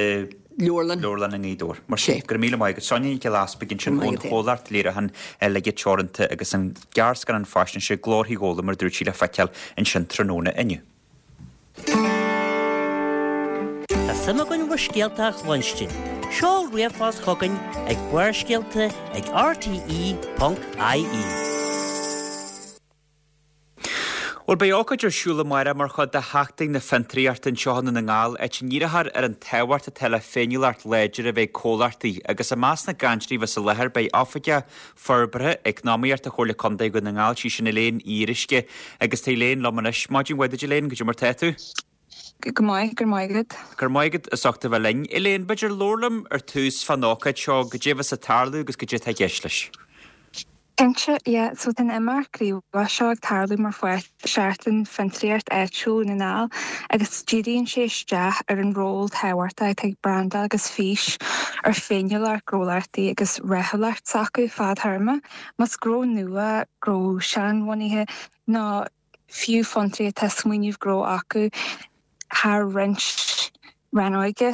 Leabharlann. Leabharlann i nGaoth Dobhair. Mar sin, go raibh míle maith agat. Sonia Nic Giolla Easpaig ansin ón chomhlacht léiriúcháin Laige Teoranta agus an gearrscannán faisnéise Glórthaí Ghabhla mar a dúirt sí le feiceáil ansin tráthnóna inniu. Tá suim againn bhur scéalta a chluinstin. Seol ríomhphost chugainn ag Barrscéalta ag rte ponc ie. Bhuel, beidh ócáid ar siúl amárach mar chuid de Sheachtain na Fiontraíochta anseo i nDún na nGall, áit a ndíreofar ar an tábhacht atá le féiniúlacht láidir a bheith ag comhlachtaí agus i measc na gcainteoirí a bheas i láthair beidh Oifigeach Forbartha Eacnamaíochta Chomhairle Contae Dhún na nGall, sí sin Elaine Uí Fhíoruisce, agus tá Elaine liom anois. Maidin mhaith duit Elaine, goidé mar tá tú? Go maith, go raibh maith agat. Go raibh maith agat as ucht a bheith linn. Elaine, b'fhéidir labhair liom ar tús fán ócáid seo, goidé a bheas ag tarlú agus goidé atá i gceist leis. Cinnte, yeah, so tá an imeacht gníomhach seo ag tarlú mar pháirt de Sheachtain Fiontraíocht Áitiúil Dhún na nGall agus díríonn sé isteach ar an ról tábhachtach atá ag brandáil agus fís ar féiniúlacht gnólachtaí agus rathúlacht s'acu fadtéarma. Más gnó nua, gnó seanbhunaithe nó fiú fiontraí atá smaoineamh gnó acu thar roinnt rannóige.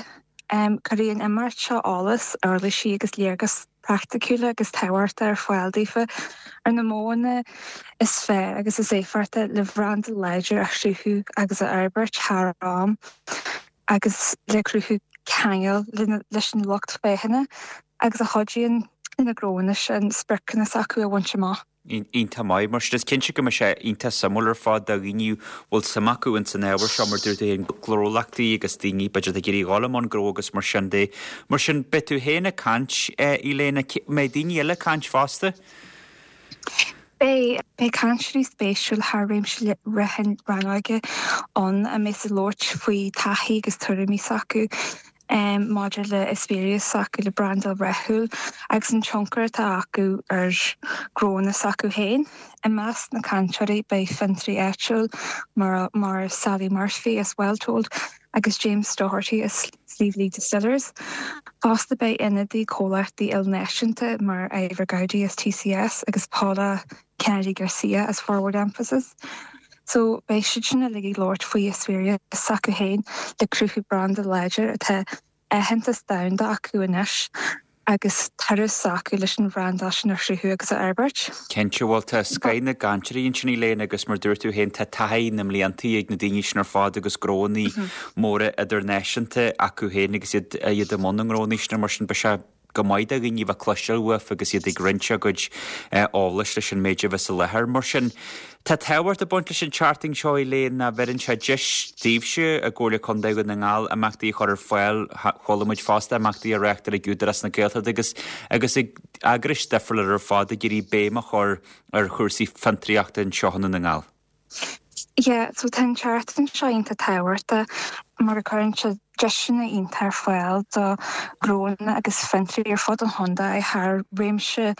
Um, Cuirfidh an imeacht seo eolas, uirlisí agus léargas praiticiúla agus tábhachtach ar fáil daofa ar na modhanna is fearr agus is éifeachtaí le branda láidir a chruthú agus a fhorbairt thar am agus le cruthú ceangal leis an lucht féachana agus a chuidíonn na gnónna sin spriocanna s'acu a bhaint amach. Iontach maith, mar sin is cinnte go mbeidh sé iontach suimiúil ar fad do dhaoine bhfuil suim acu ins an ábhar seo mar dúirt tú féin gnólachtaí agus daoine b'fhéidir ag iarraidh dhul i mbun gnó agus mar sin de. Mar sin beidh tú féin ag caint Elaine, mbeidh daoine eile ag caint fosta? Beidh beidh cainteoirí spéisiúil thar réimse leathan rannóige ann a mbeidh ag labhairt faoi taithí agus tuairimí s'acu um, maidir le eispéireas s'acu le brandáil rathúil agus an tionchar atá acu ar ghnónna s'acu féin. I measc na cainteoirí beidh fiontraí áitiúil mar, mar Sally Murphy as Welltold agus James Doherty as Sliabh Liag Distillers. Fosta beidh ionadaí comhlachtaí ilnáisiúnta mar Ivor Gowdy as TCS agus Paula Kennedy Garcia as Forward Emphasis. So beidh siad sin uilig ag labhairt faoi eispéireas s'acu féin le cruthú branda láidir atá aitheantas domhanda acu anois agus turas acu leis an bhranda sin a chruthú agus a fhorbairt. Cinnte bhfuil tá scoth na gcainteoirí ansin Elaine agus mar dúirt tú féin tá taithí na mblianta ag na daoine sin ar fad agus gnónna móra idirnáisiúnta acu féin agus iad iad i mbun na ngnónna sin mar sin beidh sé go maith do dhaoine bheith cloisteáil uafa agus iad ag roinnt a gcuid eolais leis an méid a bheas i láthair mar sin. Tá tábhacht ag baint leis an tseachtain seo Elaine ná bheireann sé deis daoibhse i gComhairle Contae Dhún na nGall imeachtaí a chur ar fáil chuala muid fosta imeachtaí a reáchtáil ag Údarás na Gaeltachta agus agus ag eagrais difriúla ar fad ag iarraidh béim a chur ar chúrsaí fiontraíochta anseo i nDún na nGall. Yeah, so tá an tseachtain seo iontach tábhachtach mar a chuireann sé deiseanna iontach ar fáil do ghnónna agus fiontraí ar fud an chontae thar réimse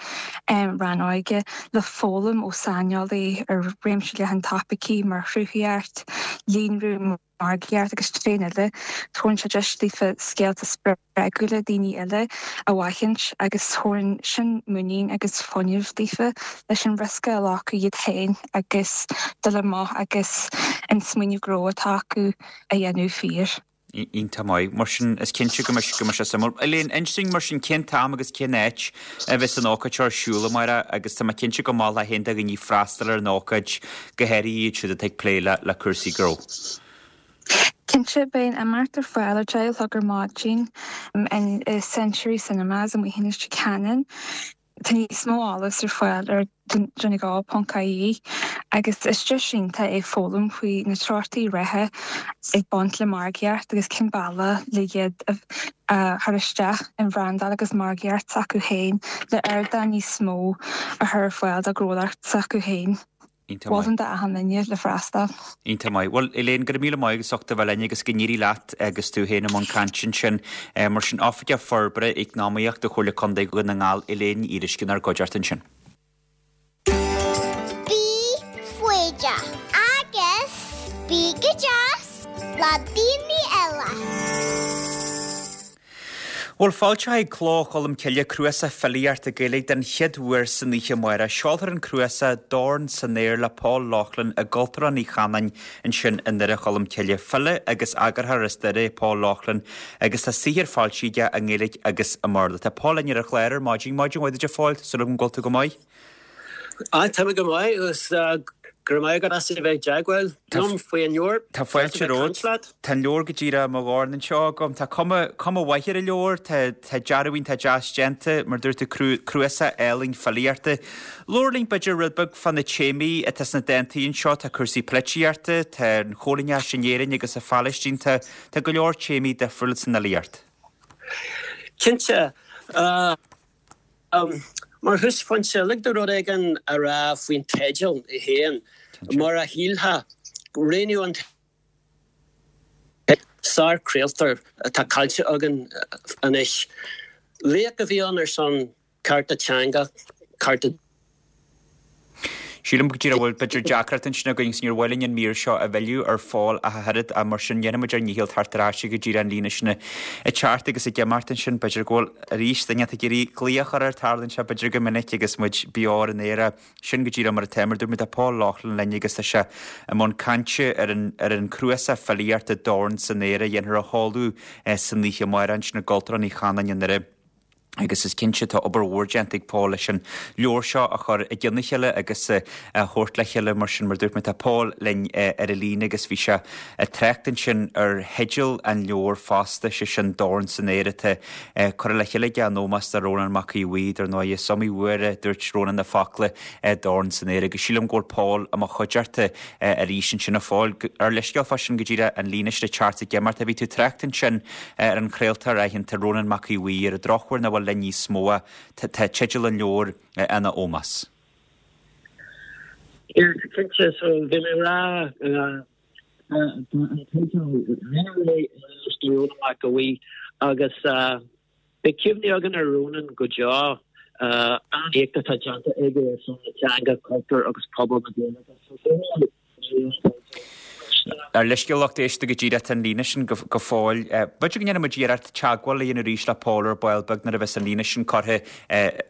um, rannóige le foghlaim ó saineolaí ar réimse leathan topaicí mar chruthaíocht, líonrú margaíocht agus traenáil. Tugann sé deis daofa scéalta spreagúla daoine eile a aithint agus tugann sin muinín agus fuinneamh daofa leis an riosca a ghlacadh iad féin agus dul amach agus an smaoineamh gnó atá acu a dhéanamh fíor. Iontach maith mar sin is cinnte go mbeidh go mbeidh sé suimiúil. Elaine inis dúinn mar sin cén t-am agus cén áit a bheas an ócáid ar siúl amárach agus tá mé cinnte go mbeidh haon do dhaoine freastal ar an ócáid go háirithe iad siúd atá ag plé le le cúrsaí gnó. Cinnte, beidh an imeacht ar fáil ar deich a chlog ar maidin in Century Cinemas amuigh in Leitir Ceanainn. Tá níos mó eolas ar fáil ar donegal ponc ie agus is deis iontach é foghlaim faoi na treochtaí reatha ag baint le margaíocht agus cén bealach le iad a chur isteach in bhrandáil agus margaíocht s'acu féin le ardán níos mó a chur ar fáil dá ngnólacht s'acu féin. Iontach maith. Mholfainn d'achan duine le freastal. Iontach maith. Bhuel, Elaine, go raibh míle maith agat as ucht a bheith linn agus go n-éirí leat agus tú féin i mbun cainte ansin. Mar sin, Oifigeach Forbartha Eacnamaíochta Chomhairle Contae Dhún na nGall, Elaine Ní Fhíoruisce inár gcuideachta ansin. Bí foighdeach agus bí go deas le daoine eile. Bhuel, foilseoidh Cló Cholm Cille cnuasach filíochta Gaeilge den chéad uair san oíche amárach. Seolfar an cnuasach Dorn san Aer le Paul Loughlin i gCultúrlann Uí Chanáin ansin i nDoire Cholm Cille. File agus eagarthóir as Doire é Paul Loughlin agus tá saothar foilsithe aige i nGaeilge agus i mBéarla. Tá Paul linn ar an chlár ar maidin. Maidin mhaith duit a Phóil, súil agam go bhfuil tú go maith. Á, tá mé go maith agus go raibh maith agat as a bheith i dteagmháil liom faoi an leabhar. Tá fáilte romhat. Tá an leabhar go díreach i mo dhorn anseo agam. Tá cuma, cuma mhaith ar an leabhar, tá, tá dearadh iontach deas déanta, mar dúirt tú, cnuasach álainn filíochta. Labhair linn b'fhéidir rud beag fá na téamaí atá sna dántaí anseo, tá cúrsaí polaitíochta, tá an choilíneachas in Éirinn agus sa Phalaistín, tá, tá go leor téamaí difriúla san fhilíocht. Cinnte. Mar thúsphointe, lig domh rud éigin a rá faoin teideal é féin. Mar a shílfeá, roghnaíodh an teideal sár-chraoltóir atá caillte againn anois. Laoch a bhí ann ar son cearta teanga, cearta. Sílim go díreach go bhfuil b'fhéidir deacracht ansin againn agus níor mhaith linn an mír seo a mhilleadh ar Phól ach an oiread ach mar sin dhéanfaidh muid ár ndícheall teacht ar ais go díreach an líne sin ag teacht agus ag imeacht ansin. B'fhéidir go bhfuil arís duine ag iarraidh glaoch a chur air tarlaíonn sé b'fhéidir go minic agus muid beo ar an aer sin go díreach mar atá mar dúirt mé tá Paul Loughlin linn agus tá sé i mbun cainte ar an ar an cnuasach filíochta Dorn san Aer a dhéanfar a sheoladh san oíche amárach ansin i gCultúrlann Uí Chanáin i nDoire. Agus is cinnte tá obair mhór déanta ag Paul leis an leabhar seo a chur i gcionn a chéile agus a thabhairt le chéile mar sin. Mar dúirt mé tá Paul linn ar an líne agus bhí sé ag trácht ansin ar theideal an leabhair fosta, sé sin Dorn san Aer atá curtha le chéile aige in ómós do Rónán Mac Aodha Bhuí. Dar ndóigh is iomaí uair a dúirt Rónán na focla Dorn san Aer agus sílim go bhfuil Paul i mo chuideachta arís ansin a Phóil. Ár leithscéal fá sin go díreach an líne sin ag teacht ag imeacht. Bhí tú ag trácht ansin ar an chraoltóir aitheanta Rónán Mac Aodha Bhuí ar an drochuair nach bhfuil linn níos mó ach tá teideal an leabhair ina ómós. Yeah, cinnte, so bhí mé ag rá an teideal rinneadh é in ómós do Rónán Mac Aodha Bhuí agus beidh cuimhne againn ar Rónán go deo, an éacht atá déanta aige ar son na teanga, cultúr agus pobal na Gaeilge. So bhí mé Ár leithscéal lucht éisteachta go díreach tá an líne sin go fóill. B'fhéidir go ndéanfaidh muid iarracht teagmháil a dhéanamh arís le Paul ar ball beag nuair a bheas an líne sin curtha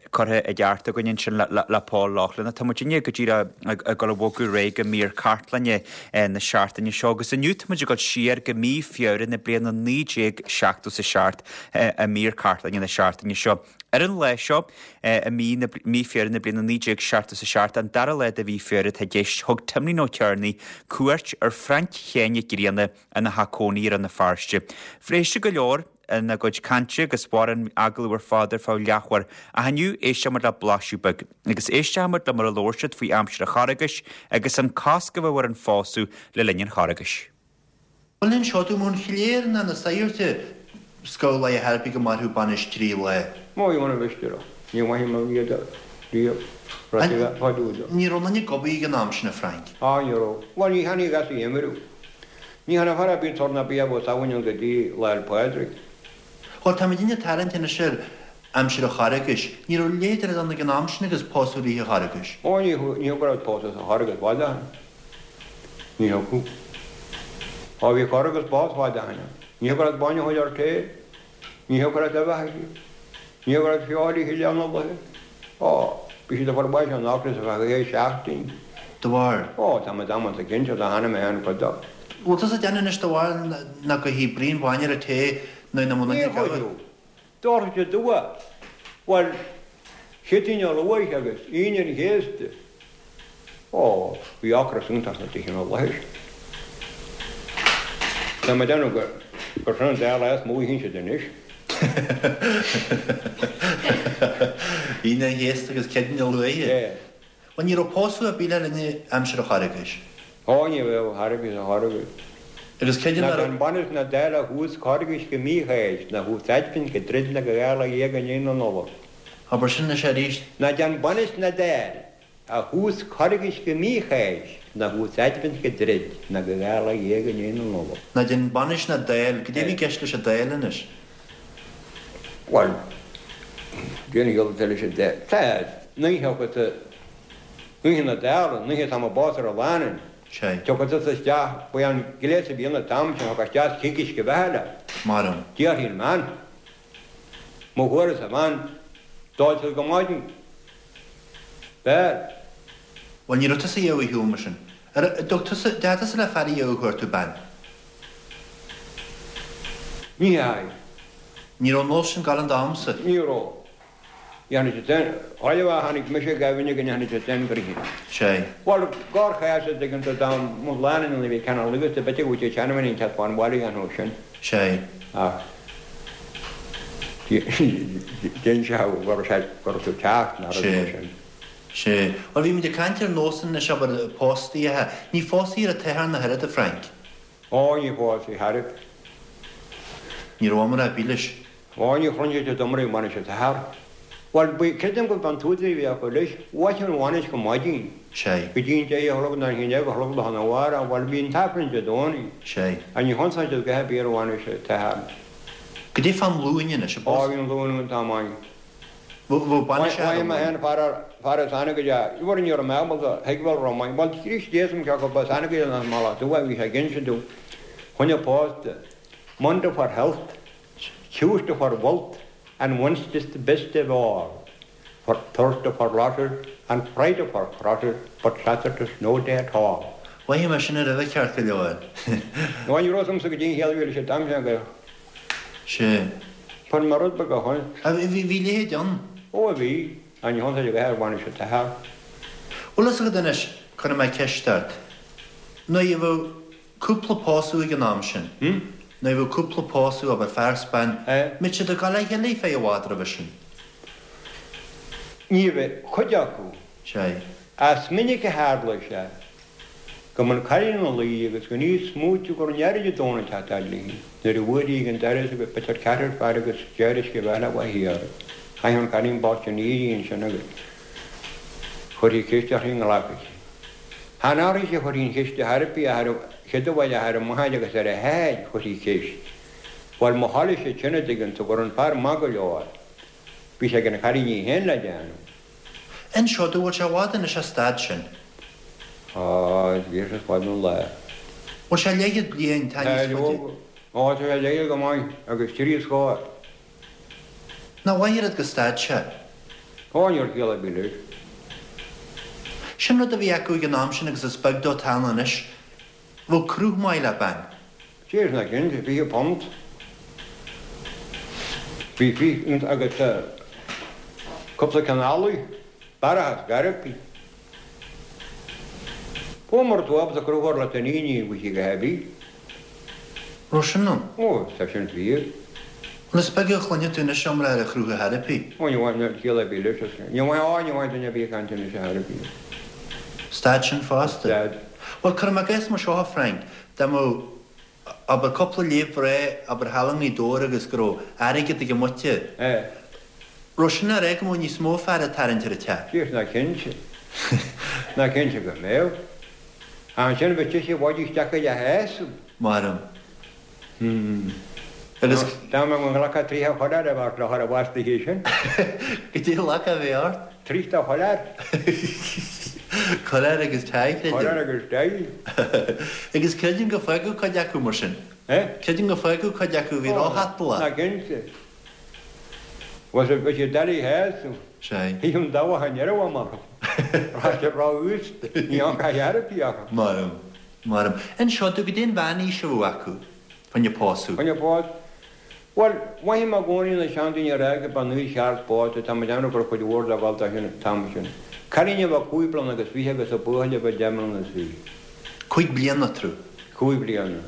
curtha i gceart againn ansin le Paul Loughlin. Tá muidinne go díreach ag dul a bhogadh ar aghaidh go mír cartlainne na seachtaine seo agus inniu tá muid ag dul siar go mí Feabhra na bliana naoi déag seachtó is a seacht i mír cartlainne na seachtaine seo. Ar an lá seo, i mí na, mí Feabhra na bliana naoi déag seachtó is a seacht, an dara lá de mhí Feabhra atá i gceist, thug Timlín Ó Cearnaigh cuairt ar Frainc Sheáin Mhic Grianna ina theach cónaí i Rann na Feirste. Phléigh siad go leor ina gcuid cainte agus mhair an agallamh ar fad ar feadh leathuair, ach inniu éistfidh muid le blaiseadh beag, agus éistfidh muid le mar a labhair siad faoi aimsir an Charghais agus an cosc a bheadh ar an phósadh le linn an Charghais. Bhuel inseoidh tú an chléir ná na sagairt scoil a thairfeadh go mairfeadh bainis trí lá. Má bhí mar a mhisde orm, ní mhaithfidh mé iad riamh, raibh sé bheith fá dtaobh dó. Ní raibh aon duine ag obair ag an am sin, a Frank? Á, ní raibh. Bhuel, ní tháinig as a imriú. Ní tháinig fear ar bith tor ná bia abhus abhainn an go dtí Lá 'le Pádraig. Bhuel, táimid ag tarraingt anois ar aimsir an Charghais. Ní raibh leithéid ann ag an am sin agus pósadh rith an Charghais. Ó, ní thiocfadh leat pósadh sa Charghas fad ó shin. Ní thiocfadh. Ó, bhí Carghas bás fad ó shin ann. Ní thiocfadh leat bainne a thabhairt ar tae. Ní thiocfadh leat uibheacha a ithe. Ní thiocfadh leat feoil a ithe Lá Nollag. Ó, bhí siad ag fáil bháis ón ocras ar feadh dhá sheachtain. De bharr? Ó, tá mé damanta cinnte, tá cheana mé féin cuid dó. Bhfuil tusa ag déanamh anois de bharr nach gcuirfí braon bainne ar an tae nuair nach mbeadh Ní an duine ag chuirfeadh. Dóirfeadh siad dua. Bhuel, Céadaoin an Luaith agus Aoine an Chéasta. Ó, bhí ocras iontach sna tithe na laethe sin. Tá mé ag déanamh gur gur sin an dá lá is mó a théann siad anois. Aoine an Chéasta agus Céadaoin na Luaithe. Yeah. Bhuel ní raibh pósadh ar bith le linn aimsir an Charghais. Ó ní raibh chor ar bith sa Charghas. Agus creidim Ná nach raibh. déan bainis ná dáil ó thús Charghais go mí Cháisc, ná thús Aidbhint go druid ná go dhá lá dhéag i ndiaidh na Nollag. Abair sin anois arís. Ná déan bainis ná dáil ó thús Charghais go mí Cháisc, ná thús Aidbhint go druid ná go dhá lá dhéag i ndiaidh na Nollag. Ná déan bainis ná dáil, goidé a bhí i gceist leis an dáil anois? Bhuel, déan a chiall leis an dáil. Tá, ní thiocfadh tú, oíche na dála, an oíche atá mé ag pósadh ar an lánúin. Sea. Tiocfaidh tusa isteach, ba é an gléas a bhí ann an t-am sin, thiocfá isteach is coicís go bheatha leat. Maram. Déarfaidh an bhean, Má fuaireas a bhean, d'ól siad go maidin. B'fhearr. Bhuel, ní raibh tusa a dhéanamh ar shiúl mar sin. Ar dtug tusa, d'fhéadfá tusa le fear a dhéanamh chuir tú bean? Ní hea. Ní raibh an nós sin ag gabháil an t-am san. Ní raibh. Dhéanfaidh siad sin, chuile mhaith a tháinig mise go Aibhinne go ndéanfaidh siad sin gnoithe. Sea. Bhuel, gár chás a dtuigeann tú dá mba lánúin a bhí ceann luigh sa bhfeice go bhfuil siad seanamhain an cead fán bhaile a dhéanamh sin. Sea. Ach dhein sé go raibh sé, go raibh tú teacht ná rud mar Sea. sin. Sea. Bhuel, bhí muid ag caint ar nósanna anois, abair, póstaí. Ní phóstaí ar an Satharn ach oiread, a Frank. Ó, ní phóstaí chor ar bith. Ní raibh iomrá ar bith leis. Ó, ní chluinfidh tú iomrá ar bhainis an tSathairn. Bhuel, bhí, creidim gurb an t-údar a bhí acu leis, mhaith an bhainis go maidin. Sea. Go dtí an deich a chlog nó an haon déag a chlog lá arna mhárach, bhuel, bhí an t-aifreann Dé Domhnaigh. Sea. Ach ní chonsainn siad go happy ar bhainis an tSathairn. Goidé fán Luain anois, a Ó, bhí an Luan an t-am ann. Bheadh bainis ar Mhaígh mé féin fear fear as Anagaire, bhuel ní raibh mé ábalta thuigbheáil raibh maith, bhuel Críost Dé is cé acu ba as Anagaire nó as Mullach Dubh a bhí sé ag inse domh, choinne pósta, Monday for health, Tuesday for wealth and Wednesday's the best of all, for Thursday for losses and Friday for crosses, but Saturday's no day at all. Mhaígh mé sin roimhe ceart go leor. Nó ní raibh agamsa go dtí an chéad mhíle sé t-am sin go. Sea. Fuair mé rud beag a chun. Bhí, bhí leithéid ann. Ó bhí, ach ní chontae a bheith ar bhainis an tSathairn. Bhfuil fhios agat anois, cuirfidh mé ceist ort. Nuair a bheadh cúpla pósadh ag an am sin, nuair a bheadh cúpla pósadh, abair fear 's bean, mbeadh siad ag gabháil le chéile feadh i bhfad roimhe sin? Ní bheadh, cuid acu. Sea. Is minic a tharla sé go mba an cailín ina luí agus gan í ag smaoitiú go raibh an fhear Dé Domhnaigh ag teacht fhad léi. Nuair a bhuail í ag an doras agus b'fhéidir ceathrar fear agus deir uisce bheatha uaithi air. Chaith an cailín bocht sin éirí ansin agus chuirfí ceist uirthi an nglacfadh sí. Chan uirthi a chuirfí an cheist ar chor ar bith ach ar an chéad bhaile ach ar a máthair agus ar a hathair chuirfí ceist. Bhuel má thoiligh siad sin a dtuigeann tú go raibh an fear maith go leor bhí sé ag an chailín í féin le déanamh. Inis domh, bhfuil sé i bhfad anois an staid sin? Á, bhí sé fada an lá. Bhfuil sé leathchéad bliain, tá níos faide. Á, tá sé leathchéad go maith agus trí scór. Nach mhaith oiread go stad sé? Á, ní raibh ciall ar bith leis. Sin rud a bhí acu ag an am sin agus is beag dó atá ann anois. Bheadh cruth maith le bean. Sea, ná cinnte, fiche punt. Bhí fiche punt agus cúpla ceann eallaigh, barrachas garraí. Ó, mura tú ábalta cruth a chur leat iníon ní bhfuil sí go haibí. Raibh sin ann? Ó, tá sin fíor. Bhuel, is beag a chluineann tú anois iomrá ar an chruth ar bith. Ó, ní bhain ciall ar bith leis. Ní bhain, á, ní bhain duine ar bith ag caint anois ar bith. Stad sin fosta. Stad. Bhuel, cuirim i gcás mar seo, a Frank, dá mbeadh, abair, cúpla léamh bhreá, abair, thall i nGaoth Dobhair agus go raibh airgead ag an muintir, Eh. raibh sin á rá go mbeadh níos mó fear ag tarraingt ar an teach? Sea, ná cinnte. Ná cinnte go mbeadh. Ansin bheadh sise i bhfad isteach i a sheasamh. Maram. Hmm. Agus. Dá mbeadh mo ghlacadh tríocha chuile a bheadh le chur i bhfas do thí sin. Goidé a ghlacadh a bheith ort? Tríocha chuile. Coiléar agus tie, creidim. Coiléar agus tie. Agus creidim go bhfágadh cuid acu mar sin. Eh? Creidim go bhfágadh cuid acu a bhí róshatalach. Ná cinnte. Was it was it Daddy has? Sea. Thit an dabhach an deireadh amach. Raibh sé ró-uasta. Ní an caith ar bith acu. Maram. Maram. Inis domh goidé an mheánaois a bheadh acu fá choinne pósadh. Fá choinne pósadh. Bhuel, mhothaigh mé i gcónaí na seandaoine ag rá go b'an aois cheart pósta, tá mé ag déanamh go raibh cuid mhór dá dhul dá sin an t-am sin. Cailín a bheadh cúig bliana agus fiche agus buachaill a bheadh deich mbliana is fiche. Cúig bliana eatarthu. Cúig bliana.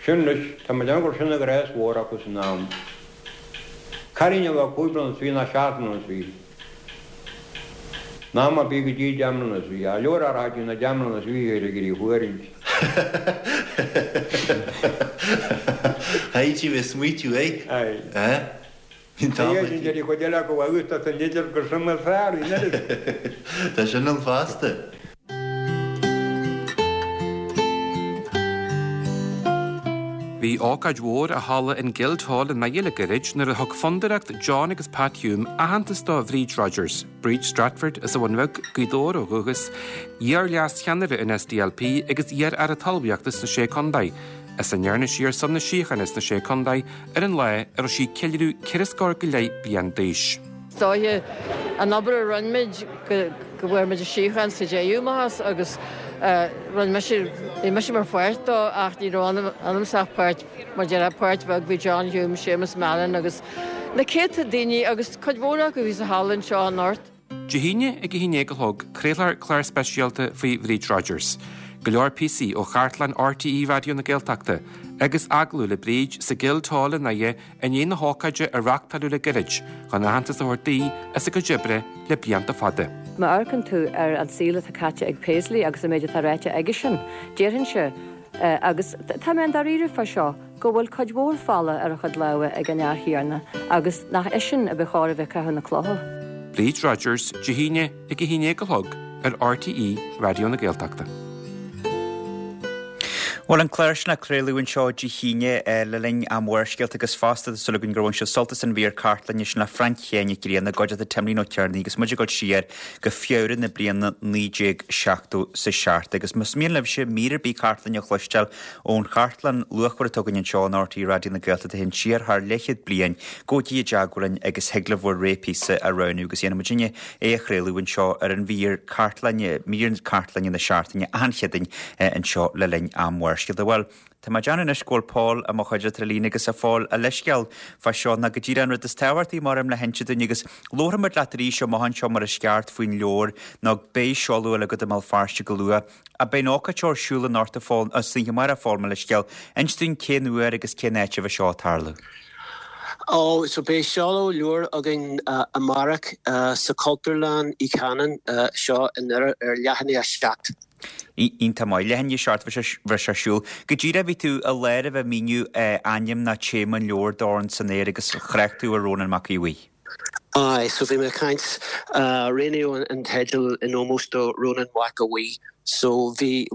Sin anois, tá mé ag déanamh gur sin an ghrá is mhór acu san am. Cailín a bheadh cúig bliana is fiche ná seacht mbliana is fiche. Ná má bhí go dtí deich mbliana is fiche. Leor a rá na deich mbliana is fiche ar ag iarraidh fuairínt. Thaití bheith smaoitiú é. Aye. Eh? Bhí an t-am Tá sin aici. deir chuid eile acu a úsáid san idir gur sin mar fearr, bhí an oiread. Tá sin ann fosta. Bhí ócáid mhór i halla an Guildhall i nDoire le gairid nuair a thug Fondúireacht John agus Pat Hume aitheantas do Bhríd Rodgers, Bríd Stratford as an Bhun Bheag, Gaoth Dobhair ó dhúchas, iar-leas-cheannaire an SDLP agus iar-aire talmhaíochta sna Sé Contae, as a ndearna sí ar son na síochána sna Sé Contae ar an lá a raibh sí ag ceiliúradh ceithre scór go leith bliain d'aois. Is dóiche an obair a rinne muid go go bhfuair muid an síocháin sa deireadh amach as agus rinne mise, bhí mise mar pháirt dó ach ní raibh ionamsa ach páirt, mar déarfá, páirt bheag, bhí John Hume, Séamus Mallon agus na céadta daoine agus cuid mhór acu a bhí sa halla anseo anocht. Dé hAoine ag a haon déag a chlog, craolfar clár speisialta faoi Bhríd Rodgers. Go leor píosaí ó chartlann RTÉ Raidió na Gaeltachta agus agallamh le Bríd sa Guildhall i nDoire i ndiaidh na hócáide a reáchtáladh le gairid chun aitheantas a thabhairt di as a cuid oibre le blianta fada. Má amharcann tú ar an saol atá caite ag Paisley agus an méid atá ráite aigesean, déarfainnse, agus tá mé an-dáiríre fá seo, go bhfuil cuid mhór fola ar a chuid lámha ag an fhear chéanna agus nach eisean a ba chóir a bheith ag caitheamh na clocha. Bríd Rodgers, Dé hAoine ag a haon déag a chlog ar RTÉ Raidió na Gaeltachta. Bhuel, an clár sin á chraoladh anseo Dé hAoine le linn am Bharrscéalta agus fosta tá súil againn gur bhain sibh sult as an mhír cartlainne sin le Frainc Sheáin Mhic Grianna, i gcuideachta Timlín Ó Tiarnaigh agus muid ag dul siar go Feabhra na bliana naoi déag seachtó 's a seacht. Agus más mian libhse mír ar bith cartlainne a chloisteáil ón chartlann luachmhar atá againn anseo in RTÉ Raidió na Gaeltachta a théann siar thar leathchéad bliain, gabhaigí i dteagmháil linn agus thig libh bhur rogha píosa a roghnú agus dhéanfaidh muidinne é a chraoladh anseo ar an mhír cartlainne, mír cartlainne na seachtaine achan Chéadaoin anseo le linn am Bharrscéalta. Bhuel, tá mé ag déanamh anois go bhfuil Paul i mo chuideachta ar líne agus a Phóil, a leithscéal fá seo ná go díreach an rud is tábhachtaí mar am le hinse dúinn agus labharfaidh muid leat arís amach anseo mar is ceart faoin leabhar nó beidh seoladh eile agat i mBéal Feirste go luath. Ach beidh an ócáid seo ar siúl anocht a Phóil, san oíche amárach a Phóil, mo leithscéal. Inis dúinn cén uair agus cén áit a bheidh seo ag tarlú. Ó, so beidh seoladh leabhair againn amárach sa Chultúrlann Uí Chanáin seo i nDoire ar leath i ndiaidh a seacht. Iontach maith. Leath i ndiaidh a seacht bheidh sé ar siúl. Go díreach bhí tú i lár a bheith ag míniú ainm ná téama an leabhair Dorn san Aer agus thrácht tú ar Rónán Mac Aodha Bhuí. Aye, so bhí mé ag caint, roghnaíodh an teideal in ómós do Rónán Mac Aodha Bhuí. So bhí,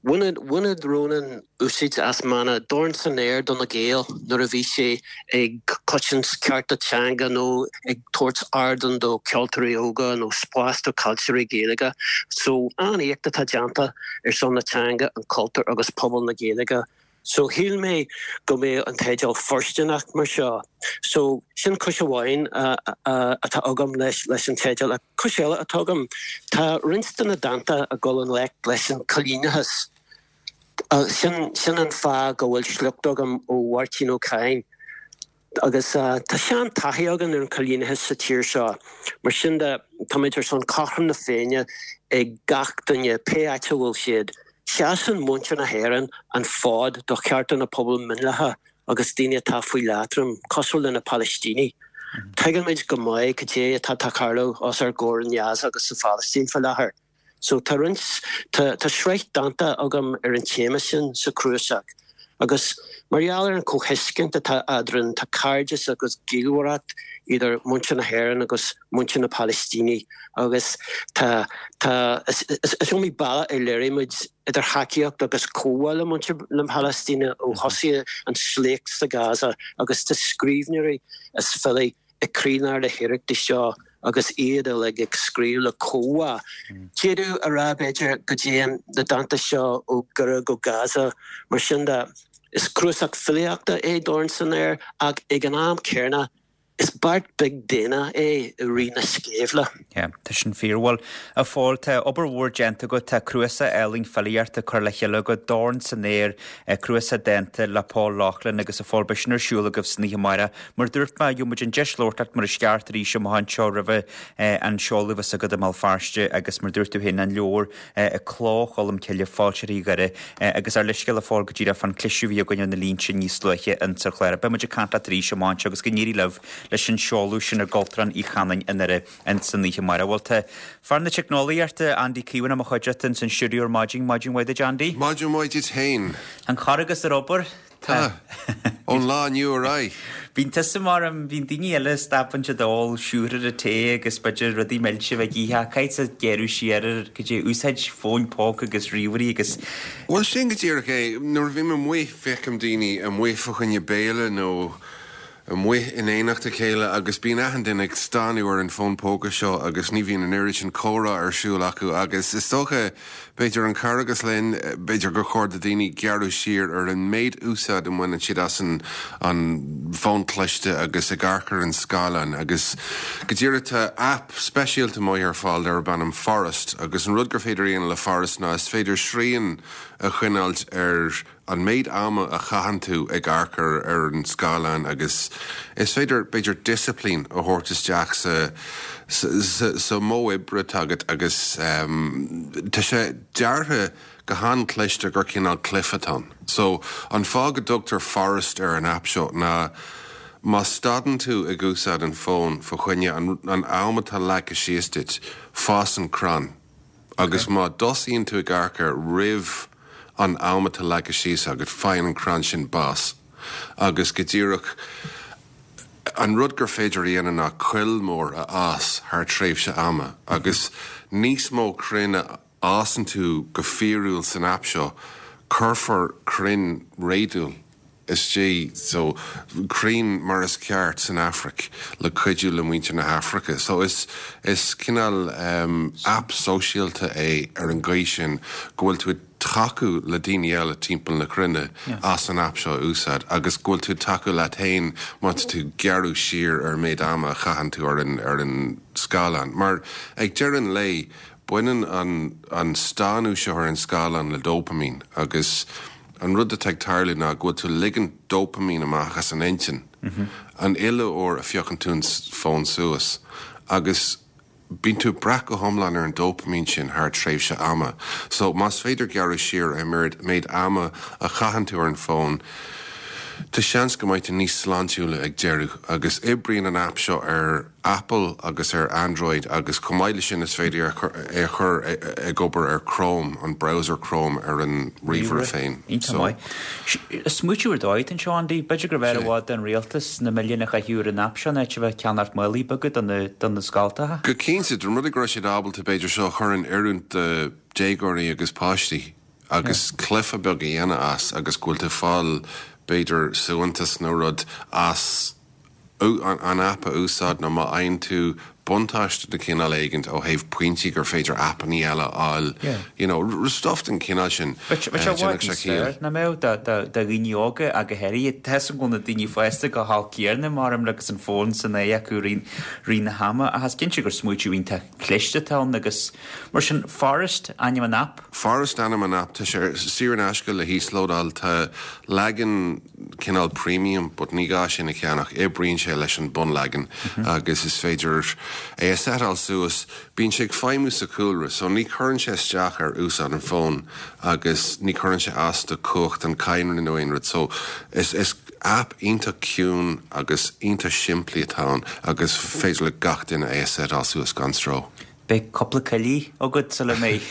Bhaineadh Rónán úsáid as mana 'Dorn san Aer do na Gaeil' nuair a bhí sé ag cosaint cearta teanga nó ag tabhairt ardán do cheoltóirí óga nó spás do chainteoirí Gaeilge. So, an-éacht atá déanta ar son na teanga, an cultúr agus pobal na Gaeilge. So, shíl mé go mbeadh an teideal fóirsteanach mar seo. So, sin cúis amháin atá agam leis leis an teideal. Cúis eile atá agam, tá roinnt de na dánta ag dul i ngleic leis an choilíneachas. Sin sin an fáth go bhfuil sliocht agam ó Mháirtín Ó Cadhain. Agus tá sean-taithí againn ar an choilíneachas sa tír seo. Mar sin de, táimid ar son cothrom na Féinne ag gach duine, pé áit a bhfuil siad. Seasann muintir na hÉireann an fód do chearta na pobal mionlacha agus daoine atá faoi leatrom, cosúil le na Palaistínigh. Tuigimid go maith cad é atá ag tarlú os ár gcomhair in Gaza agus sa Phalaistín faoi láthair. So tá roinnt, tá, tá sraith dánta agam ar an téama sin sa chnuasach. Agus mar gheall ar an chomhthuiscint atá eadrainn, tá cairdeas agus gaolmhaireacht idir muintir na hÉireann agus muintir na Palaistíne agus tá, tá, is, is, is iomaí bealach ar léirigh muid idir thacaíocht agus comhbhá le muintir na Palaistíne ó thosaigh an sléacht sa Gaza agus tá scríbhneoirí is filí ag croílár na hiarrachtaí seo agus iad uilig ag scríobh le comhbhá. D'fhéadfadh a rá, b'fhéidir, go dtéann na dánta seo ó Dhoire go Gaza. Mar sin de, is cnuasach filíochta é Dorn san Aer ach ag an am céanna Is beart beag daonna é i rith na sceimhle. Yeah, tá sin fíor. Bhuel, a Phóil, tá obair mhór déanta agat, tá cnuasach álainn filíochta curtha le chéile agat, Dorn san Aer, cnuasach dánta le Paul Loughlin agus a Phóil, beidh sin ar siúl agaibh san oíche amárach. Mar a dúirt mé, gheobhaidh muid an deis labhairt leat mar is ceart arís amach anseo roimhe an seoladh a bheas agat i mBéal Feirste agus mar a dúirt tú féin, an leabhar Cló Cholm Cille, Foilsithe Dhoire agus ár leithscéal a Phóil go díreach fán cliseadh a bhí againn ar na línte níos luaithe insa chlár. Beidh muid ag caint leat arís amach anseo agus go n-éirí libh leis an seoladh sin i gCultúrlann Uí Chanáin i nDoire insan oíche amárach. Bhuel tá fear na teicneolaíochta Andy Keown i mo chuideachta ins an stiúideo ar maidin, maidin mhaith duit Andy. Maidin mhaith duit féin. An Carghas ar obair? Tá. Ón lá inniu ar aghaidh. Bíonn tusa mar am, bíonn daoine eile stop siad ól siúcra tae agus b'fhéidir rudaí milse bheith ag ithe, caithfidh gearradh siar ar go dtí úsáid fóin póca agus ríomhairí agus. Bhuel sin go díreach é. Nuair a bhím amuigh feicim daoine amuigh fá choinne béile nó amuigh in éineacht a chéile agus bíonn achan duine ag stánadh ar an fón póca seo agus ní bhíonn an oiread sin comhrá ar siúl acu agus is dócha b'fhéidir an Carghas linn b'fhéidir gur chóir do daoine gearradh siar ar an méid úsáid a mbaineann siad as an an fón cliste agus ag amharc ar an scáileán agus go díreach tá app speisialta amuigh ar fáil darb ainm Forest agus an rud gur féidir a dhéanamh le Forest ná is féidir srian a choinneáilt ar an méid ama a chaitheann tú ag amharc ar ar an scáileán agus is féidir b'fhéidir disciplín a thabhairt isteach sa sa sa modh oibre atá agat agus tá sé deartha go han-chliste gur cineál cluiche atá ann. So an fáth go dtugtar Forest ar an app seo ná má stadann tú ag úsáid an fón fá choinne an an am atá leagtha síos duit, fásann crann. Agus má thosaíonn tú ag amharc air roimh an am atá leagtha síos agat, faigheann an crann sin bás. Agus go díreach an rud gur féidir a dhéanamh ná coill mór a fhás thar tréimhse ama. Agus níos mó crainn a fhásann tú go fíorúil san app seo, cuirfear crainn réadúil istigh so crainn mar is ceart san Afraic le cuidiú le muintir na hAfraice. So is is cineál um, app sóisialta é ar an gcaoi sin go bhfuil tú ag tacú le daoine eile timpeall na cruinne as an app seo a úsáid agus go bhfuil tú tacú leat féin má tá tú gearradh siar ar méid ama a chaitheann tú ar an ar an scáileán. Mar ag deireadh an lae baineann an an stánadh seo ar an scáileán le dopamine agus an rud atá ag tarlú ná go bhfuil tú ligean dopamine amach as an intinn. An uile uair a phiocann tú an fón suas agus bíonn tú breac go hiomlán ar an dopamine sin thar tréimhse ama. So más féidir gearradh siar ar méid ama a chaitheann tú ar an fón, Tá seans go mbeidh tú níos sláintiúla ag deireadh agus oibríonn an app seo ar Apple agus ar Android agus chomh maith leis sin is féidir é a chur ag obair ar Chrome, an browser Chrome ar an ríomhaire féin. Iontach maith. Smaoitiú ar dóigh anseo Andy, b'fhéidir gur bhfearr i bhfad don rialtas na milliúin a chaitheamh ar an app seo in áit a bheith ag ceannacht málaí beaga do na scoltacha. Go cinnte, den rud go raibh siad ábalta b'fhéidir seo a chur in oiriúint do déagóirí agus páistí agus cluiche beag a dhéanamh as agus go bhfuil tú fáil b'fhéidir suaitheantas nó rud as an app a úsáid nó má fhaigheann tú buntáiste de chineál éigin ó thaobh pointí gur féidir appanna eile a fháil you know stuff den chineál sin. Na mbeadh do dhaoine óga go háirithe tá go na daoine fásta go hal céarna mar agus an fón san é acu rith na hama ach is cinnte gur smaoitiú iontach cliste atá ann agus mar sin Forest ainm an app. Forest ainm an app tá sé saor in aisce le híoslódáil tá leagan cineál premium but ní gá sin a cheannach oibríonn sé leis an bunleagan agus is féidir é a setáil suas bíonn sé ag feidhmiú sa chúlra so ní chuireann sé isteach ar úsáid an fón agus ní chuireann sé as do chumhacht an cadhnra nó aon rud so is is app iontach ciúin agus iontach simplí atá ann agus féidir le gach duine é a setáil suas gan stró. Beidh cúpla coill agat sula mbeidh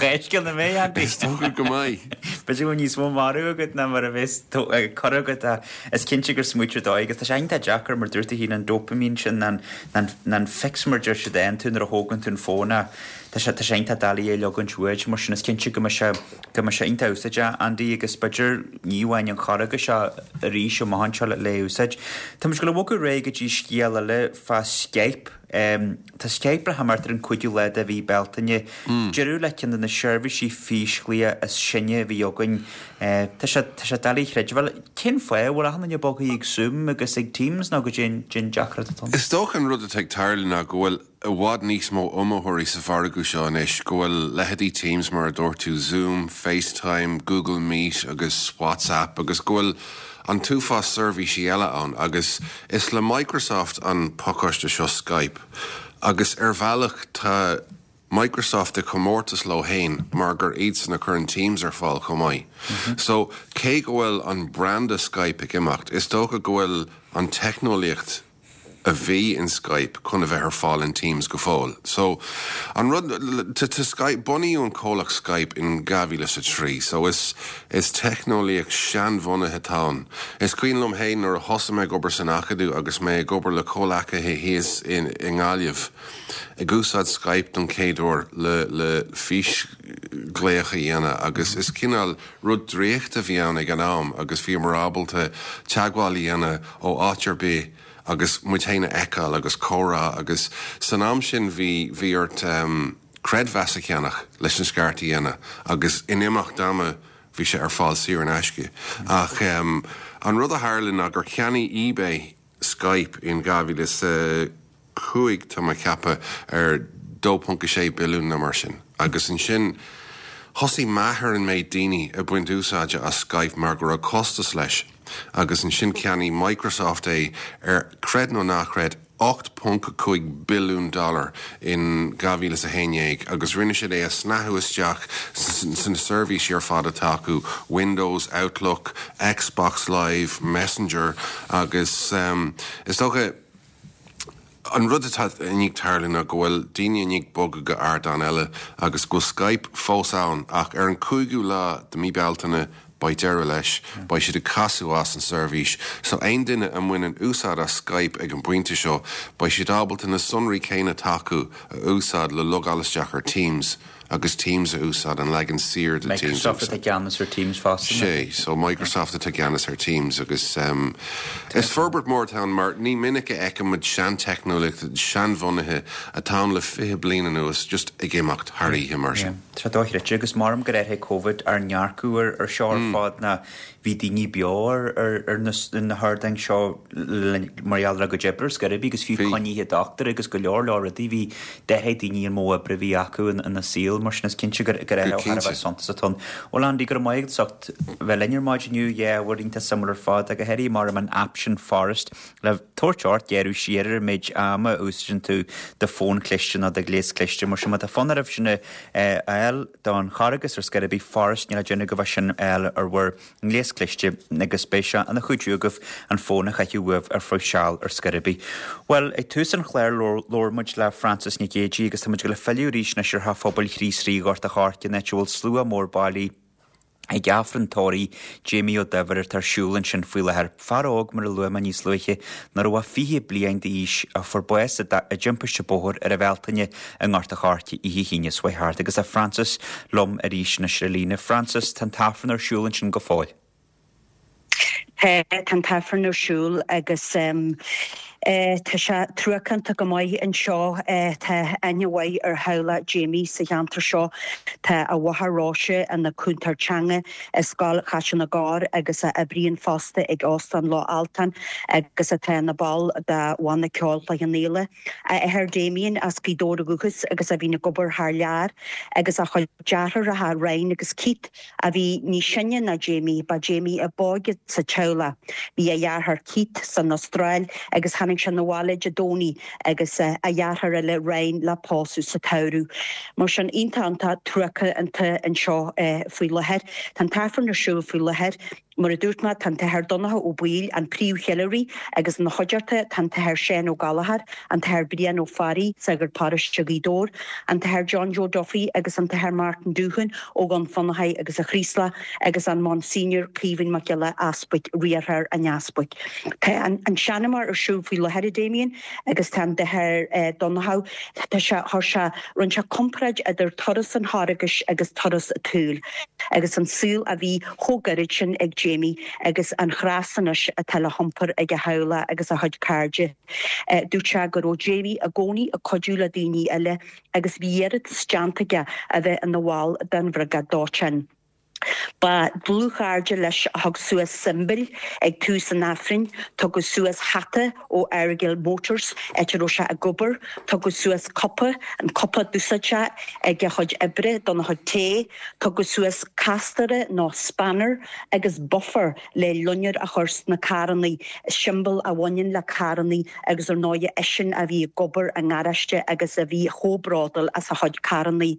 Réisce na mé Andy. Is dócha go mbeidh. B'fhéidir go bhfuil níos mó marbh agat ná mar a bheas cur agat is cinnte gur smaoitiú dóigh agus tá sé iontach deacair mar dúirt tú féin an dopamine sin an an fix mar deir siad aon tú nuair a thógann tú an fón a tá sé tá sé iontach doiligh é leagaint uait mar sin is cinnte go mbeidh sé go mbeidh sé iontach úsáideach Andy agus b'fhéidir ní amháin an Charghas seo arís amach anseo le le úsáid. Tá muid ag gabháil a bhogadh ar aghaidh go dtí scéal eile fá Skype. Tá Skype le himeacht ar an cúigiú lá de mhí Bealtaine. Deireadh le ceann de na seirbhísí físghlaoigh is sine a bhí againn. Tá sé tá sé doiligh a chreidiúint. Bhuel, cén fáth a bhfuil achan duine bogtha ag Zoom agus ag Teams nó goidé an deacracht atá ann? Is dócha an rud atá ag tarlú ná go bhfuil i bhfad níos mó iomaitheoirí sa mhargadh seo anois, go bhfuil leithéidí Teams mar a dúirt tú, Zoom, FaceTime, Google Meet agus WhatsApp agus go bhfuil an t-uafás seirbhísí eile ann agus is le Microsoft an pacáiste seo Skype agus ar bhealach tá Microsoft i comórtas leo féin mar gur iadsan a chuireann Teams ar fáil chomh maith. So cé go bhfuil an branda Skype ag imeacht, is dócha go bhfuil an teicneolaíocht a bhí in Skype chun a bheith ar fáil in Teams go fóill. So an rud to, to Skype bunaíodh an comhlacht Skype in dhá mhíle is a trí, so is is teicneolaíocht seanbhunaithe atá ann. Is cuimhin liom féin nuair a thosaigh mé ag obair san Acadamh agus mé ag obair le comhleacaithe thíos in i nGaillimh ag úsáid Skype don chéad uair le le físghlaoch a dhéanamh agus is cineál rud draíochta a bhí ann ag an am agus bhíomar ábalta teagmháil a dhéanamh ó áit ar bith agus muid féin a fheiceáil agus comhrá agus san am sin bhí bhí ort um, creidmheas a cheannach leis an scairt a dhéanamh agus in imeacht ama bhí sé ar fáil saor in aisce. Ach um, an rud a tharla ná gur cheannaigh eBay Skype in dhá mhíle is a cúig tá mé ag ceapadh ar dó ponc a sé billiún nó mar sin. Agus ansin thosaigh meath ar an méid daoine ag baint úsáide as Skype mar go raibh costas leis. Agus ansin cheannaigh Microsoft é ar, creid nó ná creid, ocht ponc cúig billiún dollar in dhá mhíle is a haon déag agus rinne siad é a shnáthú isteach sna seirbhísí ar fad atá acu, Windows, Outlook, Xbox Live, Messenger agus is dócha an rud atá i ndiaidh tarlú ná go bhfuil daoine i ndiaidh bogadh go ardán eile agus go bhfuil Skype fós ann ach ar an cúigiú lá de mí Bealtaine beidh deireadh leis, beidh siad ag casadh as an seirbhís. So aon duine a mbaineann úsáid as Skype ag an bpointe seo, beidh siad ábalta na sonraí céanna atá acu a úsáid le logáil isteach ar Teams agus Teams a úsáid, an leagan saor de Teams a Microsoft atá i gceannas ar Teams fosta. Sé, so Microsoft atá i gceannas ar Teams agus um, is forbairt mór atá ann mar ní minic a fheicimid seanteicneolaíocht seanbhunaithe atá ann le fiche bliain anuas just ag imeacht thar oíche mar sin. Tá dochreidte agus maram gur athraigh Covid ár ndearcadh ar ar seo ar fad ná bhí daoine beo ar ar ar na na hardáin seo mar gheall ar a gcuid oibre ar scor ar bith agus fiú coinnithe dochtúir agus go leor leor rudaí bhí d'athraigh daoine an modh oibre a bhí acu ina saol mar sin is cinnte gur gur athrú thar a bheith suntasach atá ann. Bhuel Andy go raibh maith agat as ucht bheith linn ar maidin inniu yeah bhur iontach suimiúil ar fad ach go háirithe mar an aip sin Forest le tabhairt ort gearradh siar ar an méid ama a úsáideann tú do fón cliste nó do ghléas cliste mar sin má tá fonn oraibh sin a fháil don Charghas ar scor ar bith Forest níl le déanamh go bheith sin a fháil ar bhur ngléas cliste agus beidh sé ina chuidiú agaibh an fón a chaitheamh uaibh ar feadh seal ar scor ar bith. Bhuel, ag tús an chláir labhair muid le Frances Nic Géadaigh agus tá muid ag dul a filleadh arís anois ar Theach Phobail Chríost Rí Ghort a' Choirce, an áit a bhfuil slua mór bailithe ag Aifreann tórraimh Jamie Ó Duibhir atá ar siúl ansin faoi láthair. Fear óg, mar a luaigh mé níos luaithe, nach raibh ach fiche bliain d'aois, a fuair bás i dtimpiste bóthair ar an Bhealtaine i nGort a' Choirce oíche hAoine seo chuaigh thart. Agus tá Frances liom arís anois ar an líne. Frances, tá an tAifreann ar siúl ansin go fóill. Tá, tá an tAifreann ar siúl agus tá sé truacánta go maith anseo. Tá aithne mhaith ar theaghlach Jamie sa cheantar seo. Tá a mháthair Róise ina cúntóir teanga i Scoil Chaiseal na gCorr agus a oibríonn fosta ag Óstán Loch Altan agus atá ina ball de bhanna ceoil Chloich Cheann Fhaola. A athair Damien as Gaoth Dobhair ó dhúchas agus a bhíonn ag obair thar lear agus a chuid deartháireacha Ryan agus Keith a bhí níos sine ná Jamie, ba Jamie ab óige sa teaghlach. Bhí a dheartháir Keith san Astráil agus tháinig sé 'na bhaile Dé Domhnaigh agus a dheartháir eile Ryan le pósadh sa tsamhradh. Mar sin iontach iontach truacánta anseo faoi láthair. Tá an t-aifreann ar siúl faoi láthair. Mar a dúirt mé, tá an tAthair Donncha Ó Baoill, an príomhcheiliúraí, agus ina chuideachta tá an tAthair Seán Ó Gallchóir, an tAthair Brian Ó Fearraigh, sagart paróiste Ghaoth Dobhair, an tAthair John Joe Duffy agus an tAthair Martin Doohan ó Dhún Fionnachaidh agus a Chraoslach agus an Monsignor Caoimhín Mac Giolla Easbuic, riarthóir an easpaig. Tá an seanmóir ar siúl faoi láthair, a Damien, agus tá an tAthair Donncha, tá sé, chuir sé, rinne sé comparáid idir turas an Charghais agus turas an tsaoil agus an saol a bhí chomh gairid sin ag Jamie agus an chreas anois atá le hiompar ag a theaghlach agus a chuid cairde. Dúirt sé go raibh Jamie i gcónaí ag cuidiú le daoine eile agus bhí iarratas déanta aige a bheith ina bhall den bhriogáid dóiteáin. Ba dlúthchairde leis a thug suas siombail ag tús an Aifrinn, tugadh suas hata ó Errigal Motors áit a raibh sé ag obair, tugadh suas cupa, an cupa d'úsáid sé ag a chuid oibre dona chuid tae, tugadh suas castaire nó spanner agus buffer le loinnir a chur sna carrannaí, siombail a bhaineann le carrannaí agus ar ndóigh eisean a bhí ag obair i ngaráiste agus a bhí chomh bródúil as a chuid carrannaí.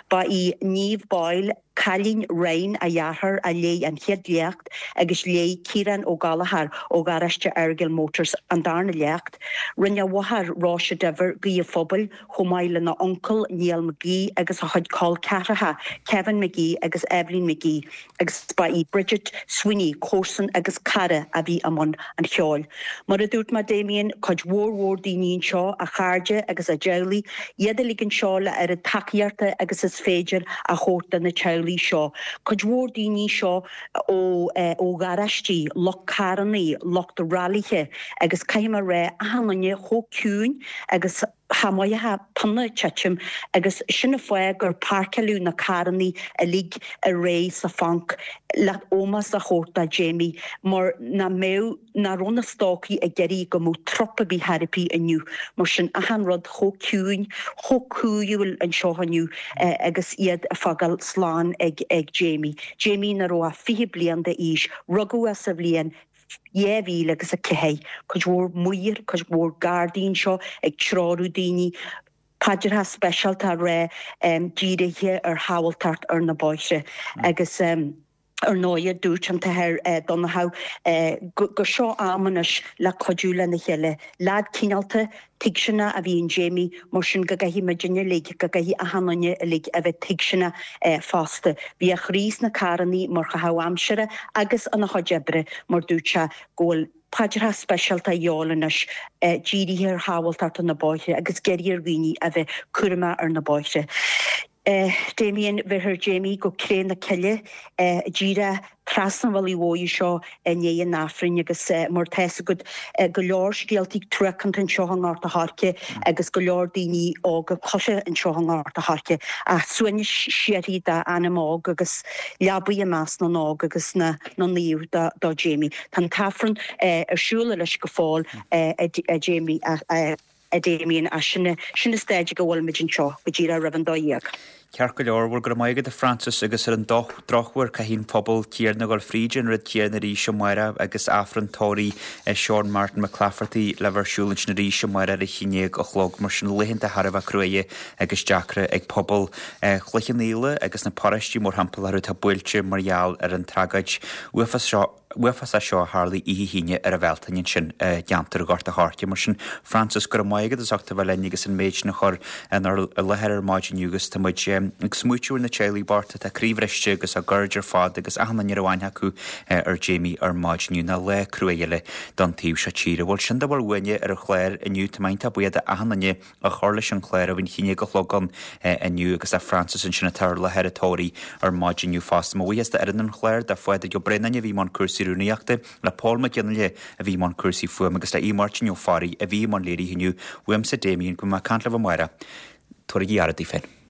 Ba í Niamh Boyle, Cailín Ryan a dheartháir a léigh an chéad léacht agus léigh Ciarán Ó Gallchóir ó gharáiste Errigal Motors an darna léacht. Rinne a mháthair Róise Diver guí an phobail chomh maith lena uncail Niall McGee agus a chuid col ceathracha Kevin McGee agus Evelyn McGee agus ba í Bridget Sweeney comharsan agus cara a bhí i mbun an cheoil. Mar a dúirt mé Damien, cuid mhór mhór daoine anseo, a chairde agus a dteaghlaigh, iad uilig anseo le oiread tacaíochta agus is féidir a thabhairt do na teaghlaigh seo. Cuid mhór daoine seo ó ó gharáistí, lucht carrannaí, lucht railithe agus caithfidh mé a rá achan duine chomh ciúin agus cha mhothófá pionna ag titim agus sin an fáth gur páirceáladh na carrannaí uilig ar aghaidh sa phanc le ómós a thabhairt do Jamie mar nach mbeadh nach raibh na stócaigh ag iarraidh go mbeadh trup ar bith chor ar bith inniu mar sin achan rud chomh ciúin, chomh cúiúil anseo inniu agus iad ag fágáil slán ag ag Jamie. Jamie nach raibh ach fiche bliain d'aois, rugadh é sa bhliain dhá mhíle agus a ceathair, cuid mhór maor, cuid mhór gardaí anseo ag treorú daoine, paidreacha speisialta á rá dírithe ar shábháilteacht ar na bóithre agus ar ndóigh dúirt an tAthair Donnchadh gur seo am anois le cuidiú lena chéile. Leaid cineálta, tuigseanach a bhí in Jamie, mar sin go gcaithfidh muidinne uilig, go gcaithfidh achan duine uilig a bheith tuigseanach fosta. Bhí a chroí sna carrannaí mar chaitheamh aimsire agus ina chuid oibre mar dúirt sé go bhfuil paidreacha speisialta a dhíobháil anois dírithe ar shábháilteacht ar na bóithre agus ag iarraidh ar dhaoine a bheith cúramach ar na bóithre. Damien, bheirfear Jamie go Cré na Cille díreach trasna an bhealaigh mhóir seo i ndiaidh an Aifrinn agus mar tá fhios agat go leor scéaltaí truacánta anseo i nGort a' Choirce agus go leor daoine óga curtha anseo i nGort a' Choirce ach suaimhneas síoraí dá anam óg agus leabaidh i measc na n-óg agus na naomh do Jamie. Tá an tAifreann ar siúl anois go fóill a Jamie a Damien ach sin sin an staid go bhfuil muid anseo go díreach roimh an dó dhéag. Ceart go leor, bhuel go raibh maith agat a Frances agus ar an drochuair caithfidh an pobal céanna a dhul fríd an rud céanna arís amárach agus Aifreann tórraimh Seán Martin McClafferty le bheith ar siúl ansin arís amárach ar a haon déag a chlog mar sin laethanta thar a bheith cruaidhe agus deacra ag pobal Chloich Cheann Fhaola agus na paróistí mórthimpeall orthu atá buailte mar gheall ar an tragóid uafásach uafásach seo a tharlaigh oíche hAoine ar an Bhealtaine ansin i gceantar Ghort a' Choirce. Mar sin, Frances, go raibh maith agat as ucht a bheith linn agus an méid sin a chur inár láthair ar maidin inniu agus tá muid ag smaoitiú ar na teaghlaigh bochta atá croíbhriste agus a gcairde ar fad agus achan duine a raibh aithne acu ar Jamie ar maidin inniu. Ná lá cruaidh eile don taobh seo tíre. Bhuel, sin dá bhfuil uainne ar an chlár inniu. Tá mé iontach buíoch d'achan duine a chuir leis an chlár ó bhí an haon déag a chlog ann inniu agus le Frances ansin atá ar láthair an tórraimh ar maidin inniu fosta. Mo bhuíochas d'fhoireann an chláir, do Phádraig Ó Braonáin a bhí i mbun cúrsaí rúnaíochta, le Pól Mac Fhionnghaile a bhí i mbun cúrsaí fuaime agus le Aodh Máirtín Ó Fearraigh a bhí i mbun léirithe inniu. Uaimse Damien, go mbeidh mé ag caint libh amárach. Tabhairaigí aire daoibh féin.